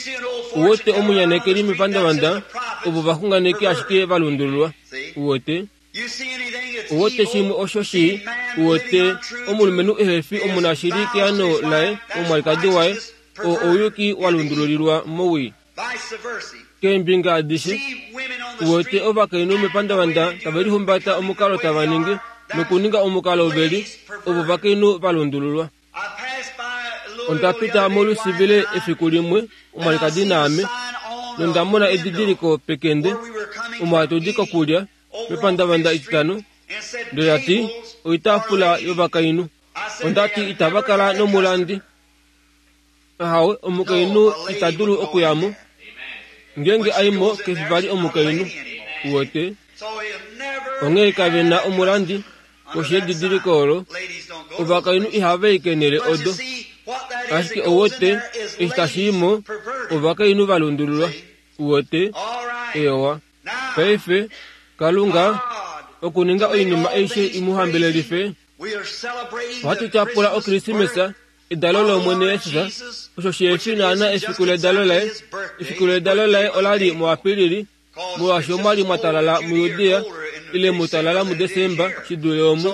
Speaker 1: uwete omunyanekeli mepandavanda, ovo vaxunganeki ashike va lundululwa. Uwete? Uwete shimwe osho shii, uwete omulumenhu ehe fi omunashili keano laye omwalikadi waye, oo ouyuki wa lundululilwa mowii. Keembinga adishe, uwete ovakainhu mepandavanda tave lihumbata omukalo tava ningi. Nokuninga omukalo veli, ovo ovakainhu va lundululwa. Onda pita molusivile efiku limwe, omwalikadi naame, nonda mona edidiliko pekende, omo hatu di kokulya, mepandavanda etitano, ndele la ti, Oitaafula yovakainhu. Onda ti, Itava kala nomulandi. Ahawe, omukainhu ita dulu okuya mo. Ngeenge a i mo, ke fi vali omukainhu. Uwete? Onghee kave na omulandi koshi yedidiliko olo. Ovakainhu ihava i keenhele odo. Ashike ouwete, eshi tashi i mo, ovakainhu va lundululwa. Uwete? Eewa. Paife, Kalunga, okuninga oinima aishe i mu hambelelife, ohatu tyapula Okrismesa, edalo lOmwene Jesus, osho shi naana efiku ledalo laye. Efiku ledalo laye ola li muApilili, molwaashi omwa li mwa talala muJudea, ile mu talala muDesemba shi dule omu.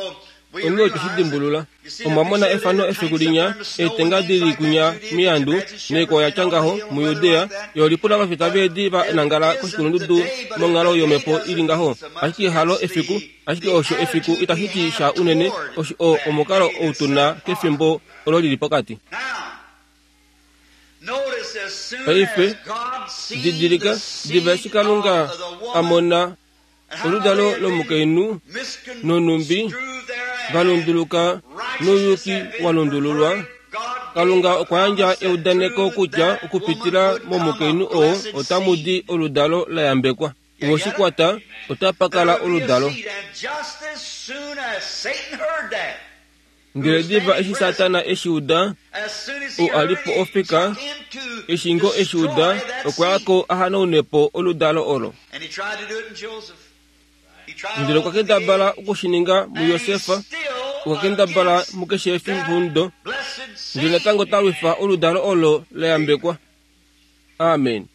Speaker 1: Onghee otwe shi dimbulula. Omwa mona efano efiku linya, eetenga di li kunya miandu, noikwao ya tya ngaho, muJudea. Ye olipula ovafita veedi va nangala koshikulundudu monghalo yomhepo i li ngaho. Ashike halo efiku, ashike osho efiku itashi ti sha unene, osho o, omukalo ou tu na kefimbo olo li li pokati. Paife, didilika, diva eshi Kalunga a mona oludalo lomukainhu nonhumbi va lunduluka nouyuki wa lundululwa, Kalunga okwa yandja eudaneko kutya okupitila momukainhu oo otamu di oludalo la yambekwa. Owe shi kwata, otapa kala oludalo. Ndele diva eshi Satana e shi uda, ou a li po ofika, eshi ngoo e shi uda, okwa ya ko a hanaune po oludalo olo. Ndele okwa kendabala oku shi ninga muJosef, okwa kendabala mukeshe efimbo, ndele natango ta lwifa oludalo olo la yambekwa. Amen.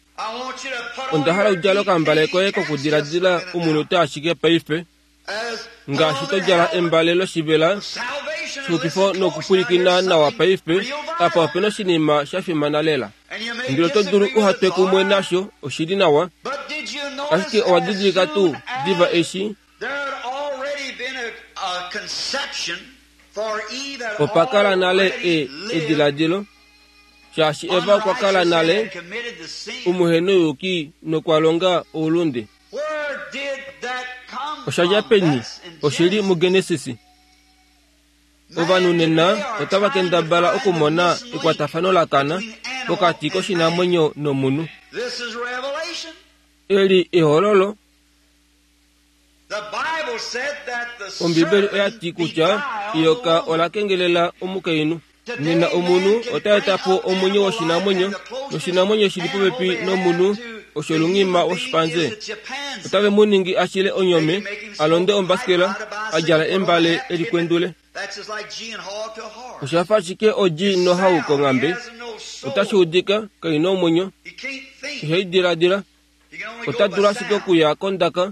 Speaker 1: Onda hala u djale okambale koye kokudiladila omunute ashike paife, ngaashi to djala embale loshivela shexupifo nokupwilikina nawa paife. Apa ope na oshinima sha fimana lela. Ndele oto dulu uha twe kumwe nasho, oshi li nawa. Ashike owa didilika tuu, diva eshi Opa kala nale e, ediladilo, shaashi Eva okwa kala nale omuhenouyuki nokwa longa oulunde. Osha dja peni? Oshi li muGenesis. Ovanhu nena otava kendabala okumona ekwatafano la kana pokati koshinamwenyo nomunhu. Eli ehololo. Ombibeli oya ti kutya eyoka ola kengelela omukainhu. Nena omunhu ota eta po omwenyo woshinamwenyo, noshinamwenyo shi li popepi nomunhu osho olunghima woshipanze. Otave mu ningi a shile onyome, a londe ombasikela, a djala embale e likwendule. Osha fa ashike odji nohau konghambe. Otashi udika, kai na omwenyo. Ihai diladila. Ota dulu ashike okuya kondaka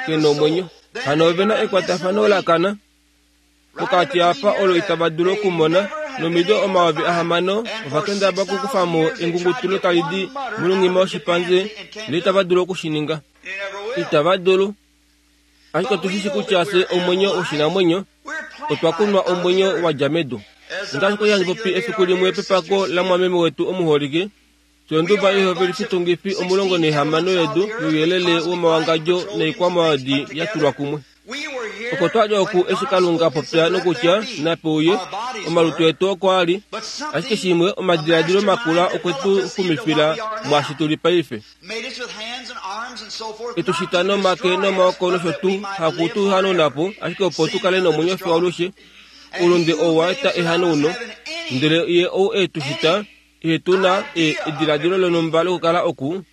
Speaker 1: ke nomwenyo. Hano ove na ekwatafano la kana pokati apa olo itava dulu okumona. Nomido 6000 ova kendaba okukufa mo engungutulo tali di molunghima woshipanze, ndele itava dulu oku shi ninga. Itava dulu. Ashike otu shi shi kutya fye omwenyo woshinamwenyo, otwa kunwa omwenyo wa dja medu. Ngaashi kwa li handi popi efiku limwe pepako lamwameme wetu omuholike, Fyonduba yoihovelifitungifi 16 yedu youyelele womawangadjo noikwamaadi ya tulwa kumwe. Oko twa li oku eshi Kalunga a popya nokutya, Nape uye, omalutu etu oko a li, ashike shimwe, omadiladilo makula okwe tu xumifila mwaashi tu li paife. E tu shita nomake nomaoko nosho tuu, haku tu hanauna po, ashike opo tu kale nomwenyo fiyo alushe. Oulunde oo wa eta ehanauno, ndele Ye ou e tu shita, Ihe tu na e, ediladilo lonhumba lokukala oku,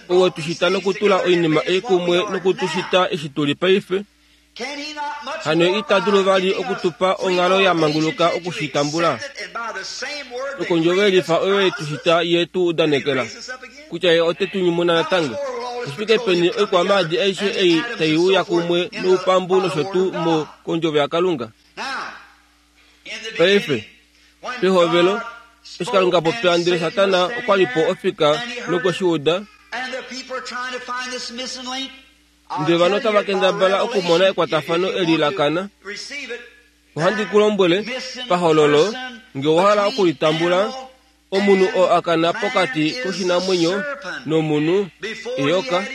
Speaker 1: ou e tu shita nokutula oinima ei kumwe noku tu shita eshi tu li paife, hano ye ita dulu vali oku tu pa onghalo ya manguluka oku shi tambula? Nokondjovo yelifa oyo ye tu shita ye tu udanekela kutya ye ote tu nyumuna natango. Oshifike peni oikwamaadi aishe ei tai uya kumwe noupambu nosho tuu mo kondjovo yaKalunga? Paife, pehovelo, eshi Kalunga a popya ndele Satana okwa li po ofika nokwe shi uda. Ndele ovanhu otava kendabala okumona ekwatafano eli la kana. Ohandi ku lombwele, pahololo, nge owa hala oku li tambula, omunhu oo a kana pokati koshinamwenyo nomunhu, eyoka,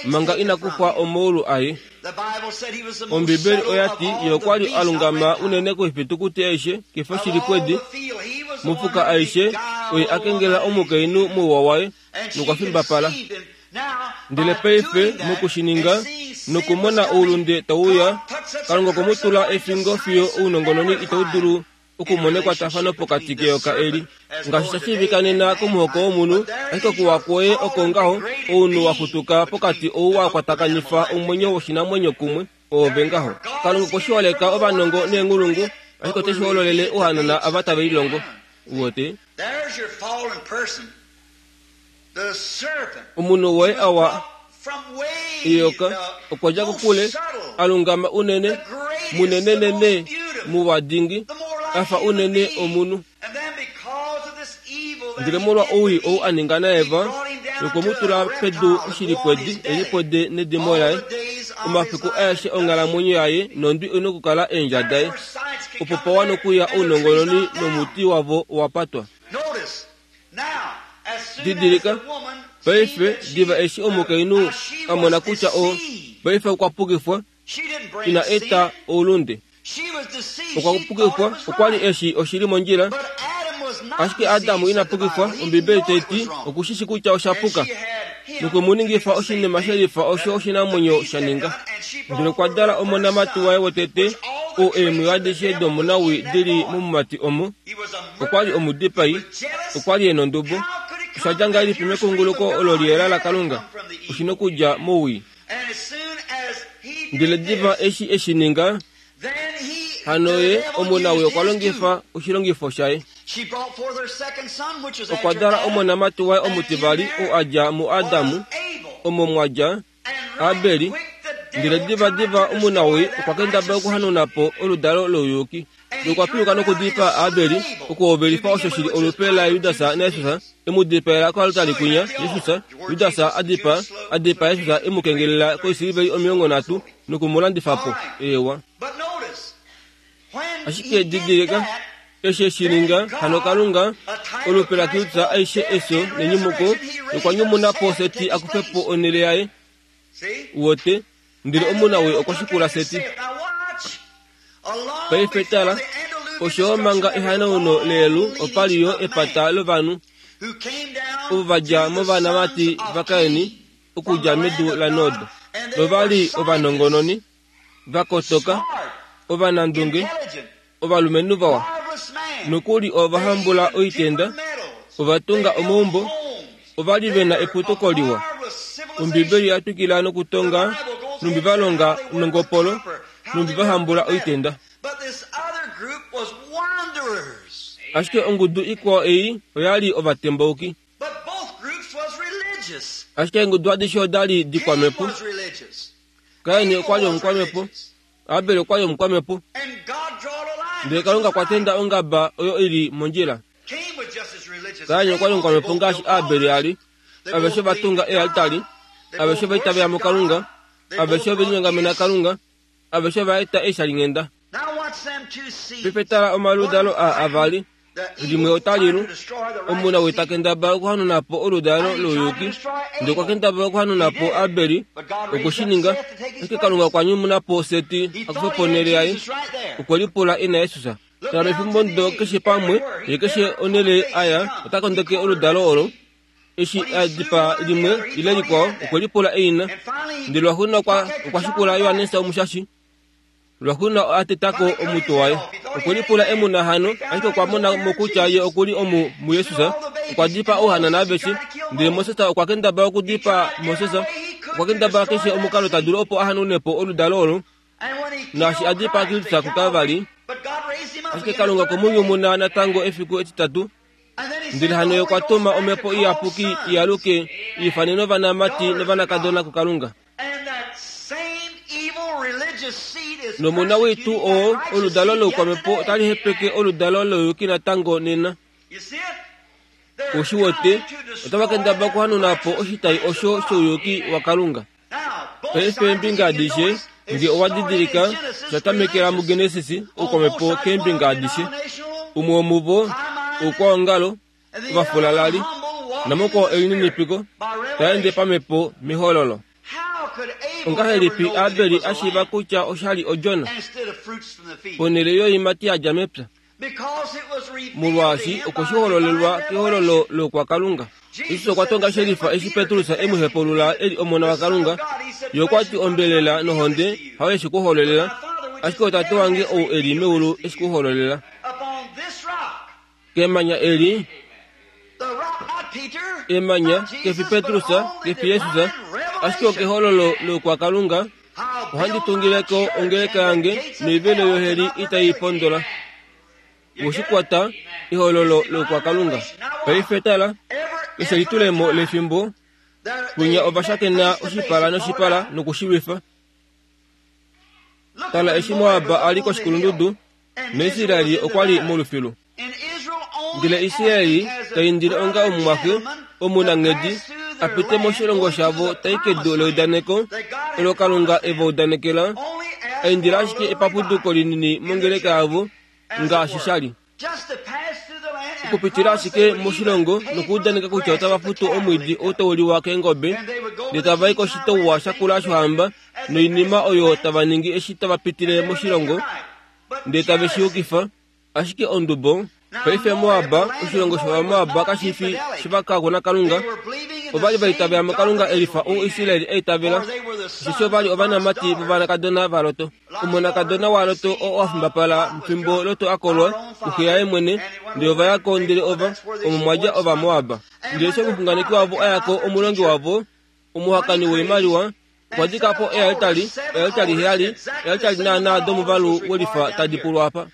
Speaker 1: manga ina kufwa omaulu aye. Ombibeli oya ti ye okwa li a lungama unene koifitukuti aishe kefyo shilipwedi. Mofuka aishe oye a kengela omukainhu mouwa waye nokwa fimbapala. Ndele paife moku shi ninga nokumona oulunde tau uya, Kalunga okwe mu tula efingo fiyo ounongononi itau dulu okumona ekwatafano pokati keyoka eli. Ngaashi sha shiivika nena komuhoko womunhu, ashike okuwa kwoye oko ngaho, ounhu wa xutuka pokati ou wa kwatakanifa omwenyo woshinamwenyo kumwe, oove ngaho. Kalunga okwe shi holeka ovanongo neenghulungu, ashike ote shi hololele ohanana ava tave lilongo. Uwete? Omunhu woye a wa eyoka okwa dja kokule, a lungama unene, munenenene, muwa dingi, a fa unene omunhu. Ndele molwa owii ou a ninga naEva, nokwe mu tula pedu oshilipwedi, elipwede nedimo laye, omafiku aeshe onghalamwenyo yaye nondwi oi nokukala eendja daye. Opo pa wana okuya ounongononi nomuti wavo owa patwa. Didilika, paife, diva eshi omukainhu a mona kutya o, paife okwa pukifwa, ina eta oulunde. Okwa pukifwa, okwa li eshi oshi li mondjila. Ashike Adam ina pukifwa, Ombibeli tai ti, oku shi shi kutya osha puka. Nokwe mu ningifa oshinima shelifa osho oshinamwenyo sha ninga. Ndele okwa dala omonamati waye wotete, oo eemwiyo adishe domunawii di li momumati omo. Okwa li omudipai, okwa li e nondubo. Osha dja ngahelipi mekunguluko olo liyela laKalunga? Oshi nokudja mowii. Ndele diva eshi e shi ninga, hano ye omunawii okwa longifa oshilongifo shaye. Okwa dala omonamati waye omutivali oo a dja muAdam, omo mwa dja Abeli, ndele divadiva omunawii okwa kendabala okuhanauna po oludalo louyuki. Nokwa piluka nokudipaa Abeli, okuhovelifa osho shi li olupe laJudas naJesus, e mu dipaela koaltari kwinya, Jesus, Judas a dipaa, a dipaa Jesus e mu kengelela koisiliveli 30 noku mu landifa po. Eewa. Ashike didilika, eshi e shi ninga, hano Kalunga, olupe laKristus aishe efyo nenyumuko, nokwa nyumuna po Seti a kufe po onhele yaye. Uwete? Ndele omunawii okwa shikula Seti. Paife tala, osho manga ehanauno leyelu opa li yo epata lovanhu ovo va dja movanamati vaKain okudja medu laNod, nova li ovanongononi, va kotoka, ovanandunge, ovalumenhu vawa. Nokuli ova hambula oitenda, ova tunga omaumbo, ova li ve na eputuko liwa. Ombibeli oya twikila nokutonga nhumbi va longa nongopolo, nhumbi va hambula oitenda. Ashike ongudu ikwao ei oya li ovatembauki. Ashike eengudu adishe oda li dikwamhepo. Kain okwa li omukwamhepo, Abel okwa li omukwamhepo. Ndele Kalunga okwa tenda ongaba oyo i li mondjila. Kain okwa li omukwamhepo ngaashi Abel a li. Aveshe ova tunga ealtari, aveshe ova itavela muKalunga, aveshe ove linyongamena Kalunga, aveshe ova eta eeshalinghenda. Paife tala omaludalo aa avali. Limwe otali lu. Omunawii ta kendabala okuhanuna po oludalo louyuki, ndele okwa kendabala okuhanuna po Abeli. Okwe shi ninga. Ashike Kalunga okwa nyumuna po Seti a kufe po onhele yaye. Okwe lipula e na Jesus. Tala mefimbo ndo keshe pamwe, ye keshe onhele a ya, ota kondeke oludalo olo. Eshi a dipaa limwe ile likwao, okwe lipula eina. Ndele lwaxuuninwa okwa, okwa shikula Johannes Omushashi. Lwaxuuninwa a teta ko omutwe waye. Okwe lipula e mu na hano, ashike okwa mona mo kutya ye oku li omu muJesus. Okwa dipaa ouhanana aveshe. Ndele Moses okwa kendabala okudipaa Moses. Okwa kendabala keshe omukalo ta dulu opo a hanaune po oludalo olo. Naashi a dipaa Kristus kuKalvari, ashike Kalunga okwe mu nyumuna natango efiku etitatu. Ndele hano ye okwa tuma Omhepo Iyapuki i aluke i ifanene ovanamati novanakadona kuKalunga. Nomona wetu oo oludalo loukwamhepo otali hepeke oludalo louyuki natango nena. Ou shi wete, otava kendabala okuhanuna po oshitai osho shouyuki waKalunga. Paife eembinga adishe, nge owa didilika, sha tamekela muGenesis, oukwamhepo keembinga adishe. Umwe womuvo, oukwaongalo, ovafulalali, namukwao elininipiko, ta ende pamhepo mehololo. Ongahelipi Abel a shiiva kutya osha li odjona, ponhele yoiimati ya dja mepya? Molwaashi okwe shi hololelwa kehololo loukwakalunga. Jesus okwa tonga shelifa eshi Petrus e mu hepaulula e li Omona waKalunga. Ye okwa ti ombelela nohonde hayo eshi ku hololela, ashike oTate wange ou e li meulu e shi ku hololela. Kemanya eli, emanya, kefi Petrus, kefi Jesus, ashike okehololo loukwakalunga, ohandi tungile ko ongeleka yange noivelo yoheli itai i pondola. Woshikwata, ehololo loukwakalunga. Paife tala, keshe elitulemo lefimbo, kwinya ova shakena oshipala noshipala noku shi lwifa. Tala eshi Moab a li koshikulundudu, naIsrael okwa li molufilu. Ndele Israel ta indile onga omumwaxe omunanghedi a pite moshilongo shavo ta i kedu leudaneko olo Kalunga e va udanekela, a indila ashike epapuduko linini mongeleka yavo ngaashi sha li. Okupitila ashike moshilongo nokuudaneka kutya otava futu omwiidi ou tau liwa keengobe, ndele tava i koshitouwa shakula shohamba noinima oyo tava ningi eshi tava pitile moshilongo, ndele tave shi yukifa. Ashike ondubo, paife Moab, oshilongo shOvamoab kashi fi shivakako naKalunga. Ova li va itavela muKalunga e lifa ou Israel a itavela, osheshi ova li ovanamati vovanakadona vaLot. Omonakadona waLot oo a fimbapala fimbo Lot a kolwa kuxe yaye mwene, ndele ova ya ko ndele ova, omo mwa dja Ovamoab. Ndele eshi omuxunganeki wavo a ya ko, omulongi wavo, omuhakani woimaliwa, okwa dika po ealtari, ealtari heyali, ealtari naanaa domuvalu welifa tadi pulwa apa.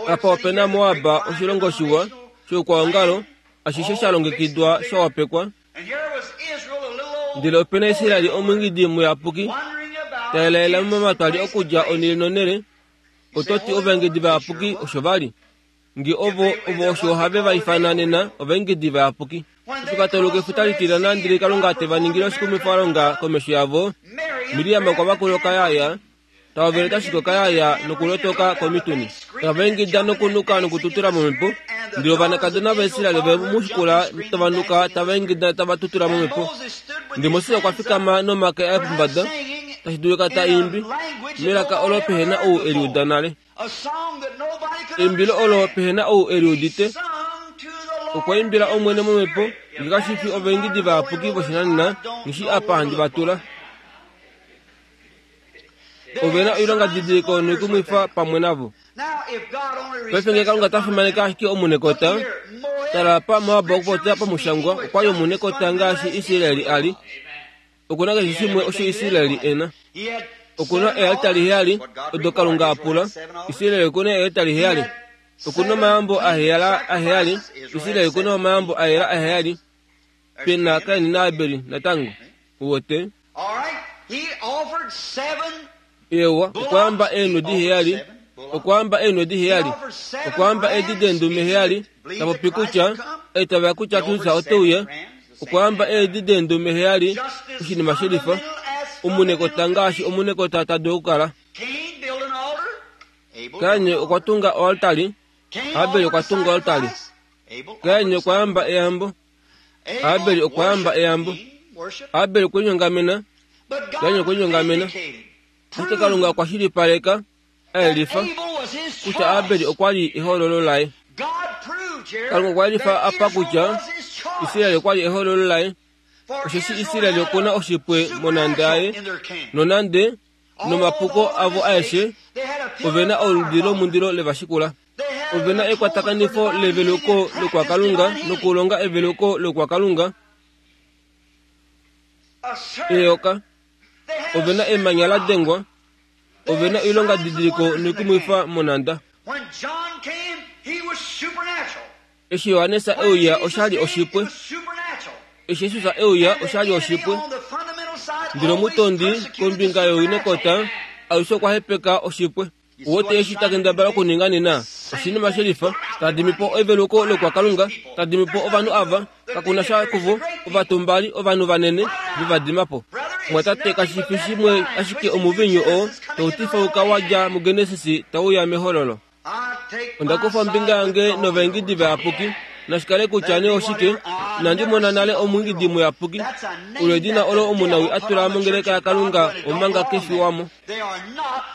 Speaker 1: Apa ope na Moab, oshilongo shiwa shoukwaongalo, ashishe sha longekidwa sha wapekwa. Ndele ope na Israel omwiingidi muyapuki, ta elaela momatwali okudja onhele nonhele. Oto ti ovaengedi vayapuki osho va li? Nge ovo, ovo osho have va ifana nena ovaengedi vayapuki. Eshi va tauluka efuta litilana ndele Kalunga te va ningile oshikumwifalonga komesho yavo, Miriam okwa vakula okayaya, ta hovele ta shiki okayaya nokulotoka komituni. Tava ingida nokunuka nokututula momhepo, ndele ovanakadona vaIsrael ove mu shikula tava nuka tava ingida tava tutula momhepo. Ndele Moses okwa fikama nomake aye pombada, tashi dulika ta imbi melaka olo pehe na ou e li uda nale. Eimbilo olo pehe na ou e li udite. Okwa imbila Omwene momhepo, nge kashi fi ovaingidi vayapuki voshinanena, nghi apa handi va tula. Ove na oilongadidiliko noikumwifa pamwe navo. Paife nge Kalunga ta fimaneke ashike omunekota, tala apa Moab okupopya pamushangwa okwa li omunekota ngaashi Israel a li. Oku na keshe shimwe osho Israel e na. Oku na ealtari heyali odo Kalunga a pula. Israel oku na ealtari heyali. Oku na omayambo aheyala aheyali. Israel oku na omayambo aheyala aheyali. Pe na Kain naAbel natango. Uwete? Eewa, okwa yamba eenhwedi heyali. Okwa yamba eenhwedi heyali. Okwa yamba eedi deendume heyali. Ta popi kutya, eitavela kutya Kristus ote uya. Okwa yamba eedi deendume heyali, oshinima shelifa. Omunekota ngaashi omunekota ta dulu okukala. Kain okwa tunga oaltari. Abel okwa tunga oaltari. Kain okwa yamba eyambo. Abel okwa yamba eyambo. Abel okwe linyongamena. Kain okwe linyongamena. Ashike Kalunga okwa shilipaleka, a yelifa, kutya Abel okwa li ehoololo laye. Kalunga okwa yelifa apa kutya Israel okwa li ehoololo laye, osheshi Israel oku na oshipwe monhanda yaye, nonande nomapuko avo aeshe, ove na oludi lomundilo le va shikula. Ove na ekwatakanifo leveluko lokwakalunga nokulonga eveluko lokwakalunga. Eyoka. Ove na emanya la dengwa. Ove na oilongadidiliko noikumwifa monhanda. Eshi Johannes e uya osha li oshipwe. Eshi Jesus e uya osha li oshipwe. Ndele omutondi kombinga yoinekota alushe okwa hepeka oshipwe. Uwete eshi ta kendabala okuninga nena? Oshinima shelifa. Ta dimi po eveluko lokwakalunga. Ta dimi po ovanhu ava. Kaku na sha kuvo, ovatumbali, ovanhu vanene, ve va dima po. Mwatate, kashi fi shimwe ashike omuvinyu oo tau tifauka wa dja muGenesis tau uya mEhololo. Onda kufa ombinga yange novaingidi vayapuki, nashi kale kutya nee oshike, inandi mona nale omwiingidi muyapuki. Olo edina olo omunawi a tula mongeleka yaKalunga omanga ke fi wamo.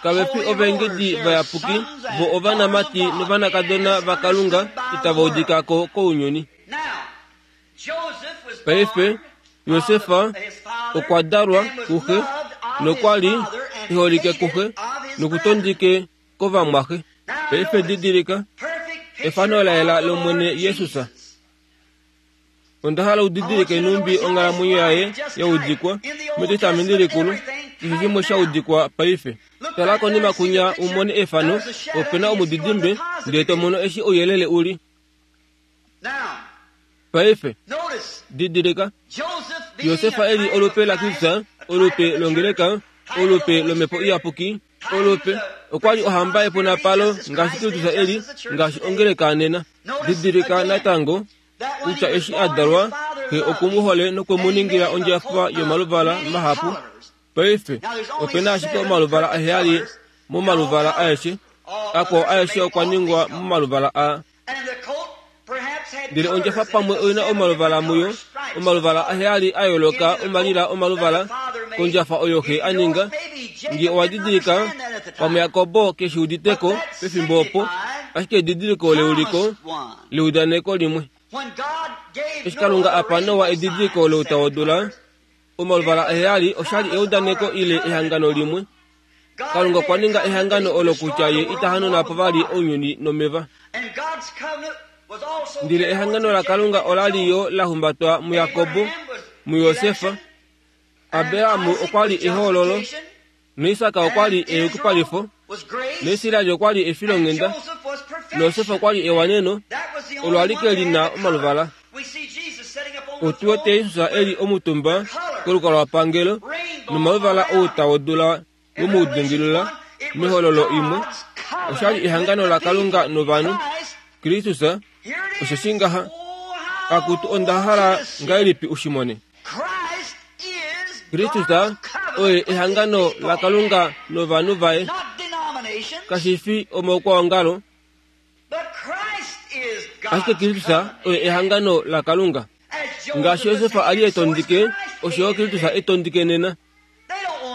Speaker 1: Kave fi ovaingidi vayapuki, vo ovanamati novanakadona vaKalunga itava udika ko kounyuni. Paife, Josef okwa dalwa kuxe nokwa li e holike kuxe nokutondike kovamwaxe. Paife didilika efano la yela lOmwene Jesus. Onda hala u didilike nhumbi onghalamwenyo yaye ya udikwa mEtestamenti Likulu, keshe shimwe sha udikwa paife. Tala konima kunya u mone efano, ope na omudidimbe, ndele to mono eshi ouyelele u li. Paife, didilika, Josef e li olupe laKristus, olupe longeleka, olupe lOmhepo Iyapuki, olupe, okwa li ohamba yepunapalo ngaashi Kristus e li, ngaashi ongeleka nena. Didilika natango kutya eshi a dalwa, xe oku mu hole nokwe mu ningila ondjafa yomaluvala mahapu. Paife, ope na ashike omaluvala aheyali momaluvala aeshe, akwao aeshe okwa ningwa momaluvala aa. Ndele ondjafa pamwe oi na omaluvala muyo, omaluvala aheyali a yooloka omalila omaluvala kondjafa oyo xe a ninga. Nge owa didilika, pamwe Jakob ke shi udite ko pefimbo opo, ashike edidiliko leuliko leudaneko limwe. Eshi Kalunga a pa Noa edidiliko louta wodula, omaluvala aheyali osha li eudaneko ile ehangano limwe. Kalunga okwa ninga ehangano olo kutya ye ita hanuna po vali ounyuni nomeva. Ndele ehangano laKalunga ola li yo la humbatwa muJakob, muJosef, Abraham okwa li ehoololo, naIsak okwa li eyukipalifo, naIsrael okwa li efilonghenda, naJosef okwa li ewaneno, olo alike li na omaluvala. Otu wete Jesus e li omutumba kolukalwapangelo nomaluvala outa wodula we mu dingilila mehololo imwe. Osha li ehangano laKalunga novanhu, Kristus, osheshi ngaha. Akutu onda hala ngahelipi u shi mone. Kristus oye ehangano laKalunga novanhu vaye, kashi fi omaukwaongalo, Ashike Kristus oye ehangano laKalunga. Ngaashi Josef a li e tondike, osho yo Kristus e tondike nena.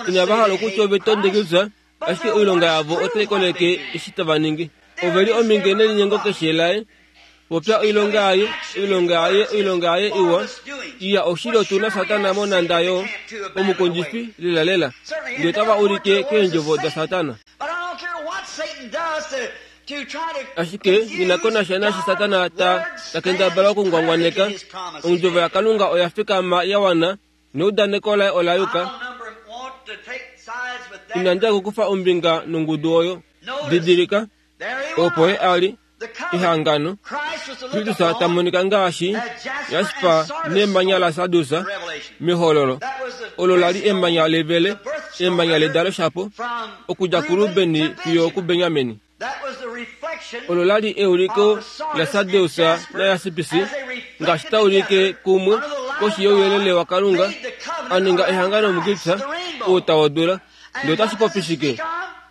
Speaker 1: Inava hala okutya ove tonde Kristus, ashike oilonga yavo otai koleke eshi tava ningi. Ove li ominge nelinyengo keshe laye. Popya oilonga yaye, oilonga yaye, oilonga yaye iwa. Iya, oshili otu na Satana monhanda yo omukondjifi lelalela, ndele otava ulike keendjovo daSatana. Ashike nghi na ko nasha naashi Satana ta ta kendabala okungwangwaneka, Ondjovo yaKalunga oya fikama ya wana, neudaneko laye ola yuka. Inandi ya okukufa ombinga nongudu oyo. Didilika, opo ye a li, ehangano, Kristus ta monika ngaashi jasper nemanya lasardus mehololo. Olo la li emanya levele, emanya ledalo shapo, okudja kuRuben fiyo okuBenjamin. Olo la li euliko laSardius naYaspis, ngaashi ta ulike kumwe koshi youyelele waKalunga, a ninga ehangano muKristus, ou ta wodula. Ndele otashi popi shike?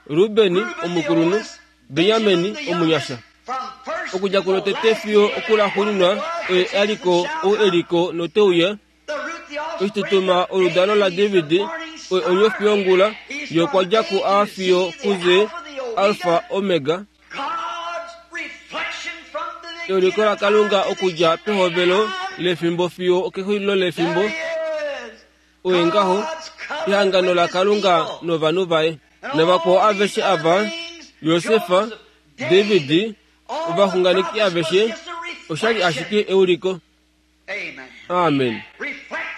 Speaker 1: Ruben, omukulunhu, Benjamin omunyasha. Okudja kulotete fiyo okulaxuuninwa oye a li ko, ou e li ko note uya, oshitutuma oludalo laDavid, oye onyofi yongula, ye okwa dja kuA fiyo kuZ, Alfa, Omega. Euliko laKalunga okudja pehovelo lefimbo fiyo okexulilo lefimbo. Oye ngaho ehangano laKalunga novanhu vaye. Navakwao aveshe ava, Josef, David, ovaxunganeki aveshe, osha li ashike euliko. Amen.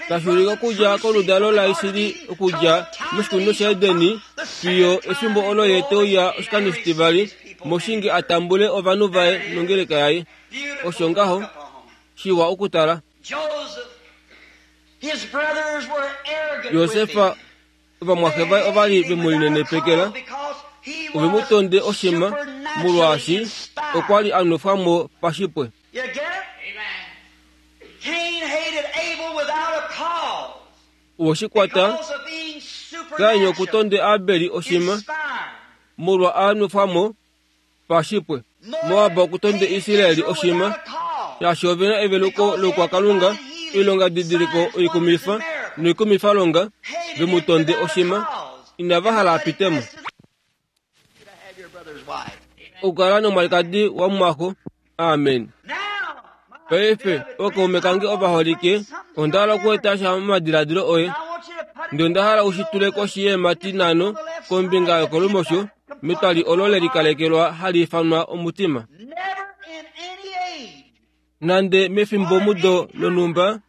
Speaker 1: Tashi ulike okudja koludalo laIsrael okudja moshikunino shaEdeni fiyo efimbo olo ye te uya oshikando shitivali moshinge a tambule ovanhu vaye nongeleka yaye. Osho ngaho. Shiwa okutala. Josef ovamwaxe vaye ova li ve mu linenepekela, ove mu tonde oshima molwaashi okwa li a nwefwa mo pashipwe. Owe shi kwata? Kain okutonde Abeli oshima molwa a nwefwa mo pashipwe. Moab okutonde Israeli oshima shaashi ove na eveluko loukwakalunga, oilongadidiliko oikumifa noikumifalonga, ve mu tonde oshima, inava hala a pite mo. Okukala nomwalikadi wamumwaxo. Amen. Paife, ookaume kange ovaholike, onda hala okueta sha momadiladilo oye. Ndele onda hala u shi tule koshi yeemhati nhano kombinga yokolumosho metwali olo le likalekelwa hali ifanwa omutima. Nande mefimbomudo lonhumba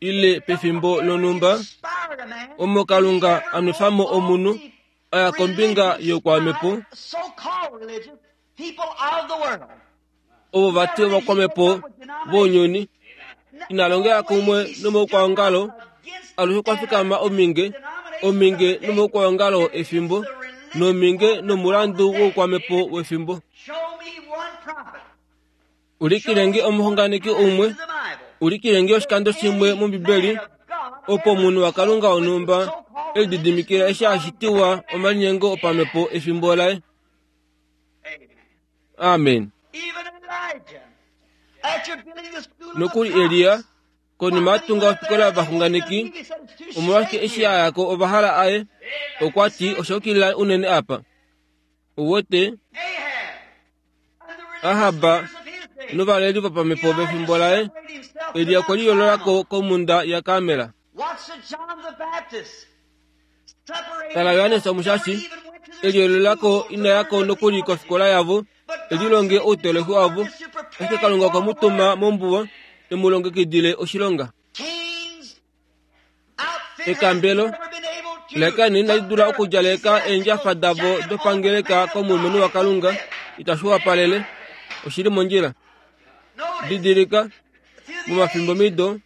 Speaker 1: ile pefimbo lonhumba omo Kalunga a nwefa mo omunhu a ya kombinga youkwamhepo, ovo vati ovakwamhepo vounyuni, ina longela kumwe nomaukwaongalo, alushe kwa fikama ominge, ominge nomaukwaongalo efimbo, nominge nomulandu woukwamhepo wefimbo. Ulikile nge omuxunganeki umwe, ulikile nge oshikando shimwe mOmbibeli opo omunhu waKalunga wonhumba e lididimikila eshi a shitiwa omalinyengo opamhepo efimbo laye. Amen. Nokuli Elia, konima a tunga ofikola yovaxunganeki, omolwashike eshi a ya ko ova hala aye, okwa ti osha yukilila unene apa. Uwete? Ahab novaleli vopamhepo vefimbo laye, Elia okwe liyoolola ko komhunda yaKarmel. Tala Johannes Omushashi, e liyoolola ko ina ya ko nokuli kofikola yavo, e lilonge outoloki wavo, ashike Kalunga okwe mu tuma mombuwa e mu longekidile oshilonga. Ekambelo laKain inali dula okudjaleka eendjafa davo dopangeleka komulumenhu waKalunga, itashi wapalele. Oshi li mondjila. Didilika, momafimbomido,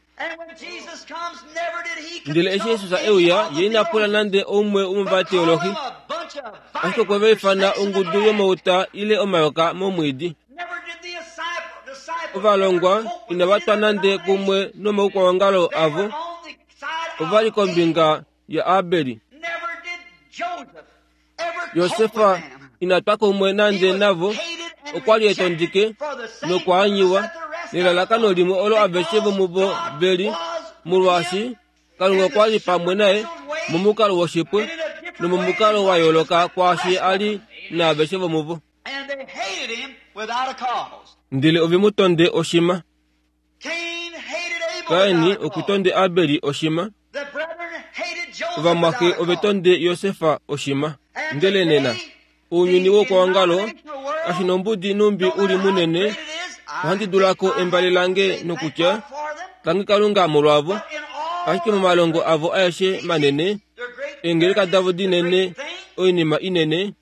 Speaker 1: Ndele eshi Jesus e uya, ye ina pula nande oumwe womovateolohi, ashike okwe va ifana ongudu yomauta ile omayoka momwiidi. Ovalongwa inava twa nande kumwe nomaukwaongalo avo, ova li kombinga yaAbeli. Josefa ina twa kumwe nande navo, okwa li e tondike nokwaanyiwa nelalakano limwe olo aveshe vomuvo ve li, molwaashi Kalunga okwa li pamwe naye momukalo woshipwe nomomukalo wa yooloka kwaashi a li naaveshe vomuvo. Ndele ove mu tonde oshima. Kaini oku tonde Abeli oshima. Ovamwaxe ove tonde Josef oshima. Ndele nena, ounyuni woukwaongalo, kashi nombudi numbi u li munene, ohandi dula ko embale lange nokutya, Tangi Kalunga molwavo, ashike momalongo avo aeshe manene, eengeleka davo dinene, oinima inene,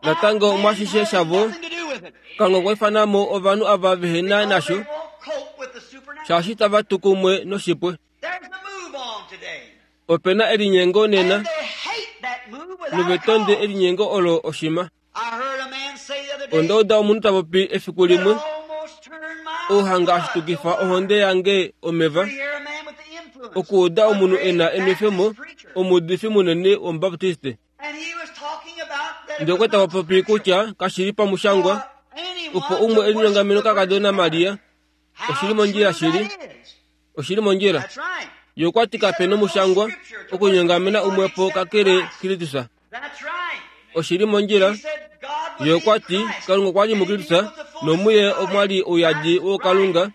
Speaker 1: Natango mwashishe shavo, Kalunga okwa ifana mo ovanhu ava vehe na nasho, shaashi tava tu kumwe noshipwe. Ope na elinyengo nena, nove tonde elinyengo olo oshima. Onda uda omunhu ta popi efiku limwe, ouhanga a shitukifa ohonde yange omeva, okuuda omunhu e na enwefemo, omuudifi munene wOmubaptiste. Ndele okwa tava popi kutya kashi li pamushangwa opo umwe e linyongamene okakadona Maria. Oshi li mondjila shili. Oshi li mondjila. Ye okwa ti kape nomushangwa okunyongamena umwe po kakele Kristus. Oshi li mondjila. Ye okwa ti Kalunga okwa li muKristus nomuye omwa li ouyadi woukalunga.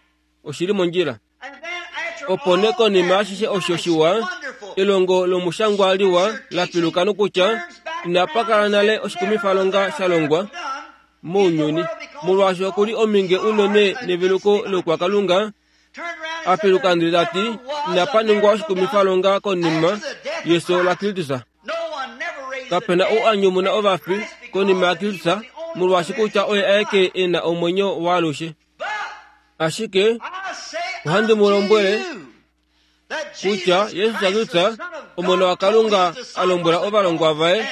Speaker 1: Oshi li mondjila. Opo nee konima ashishe osho shiwa, elongo lomushangwa liwa la piluka nokutya inapa kala nale oshikumifalonga sha longwa mounyuni, molwaashi oku li ominge unene neveluko loukwakalunga, a piluka ndele ta ti, inapa ningwa oshikumifalonga konima yeso laKristus. Kape na ou a nyumuna ovafi konima yaKristus, molwaashi kutya oye aeke e na omwenyo waalushe. Ashike ohandi mu lombwele kutya Jesus Kristus, Omona waKalunga, a lombwela ovalongwa vaye,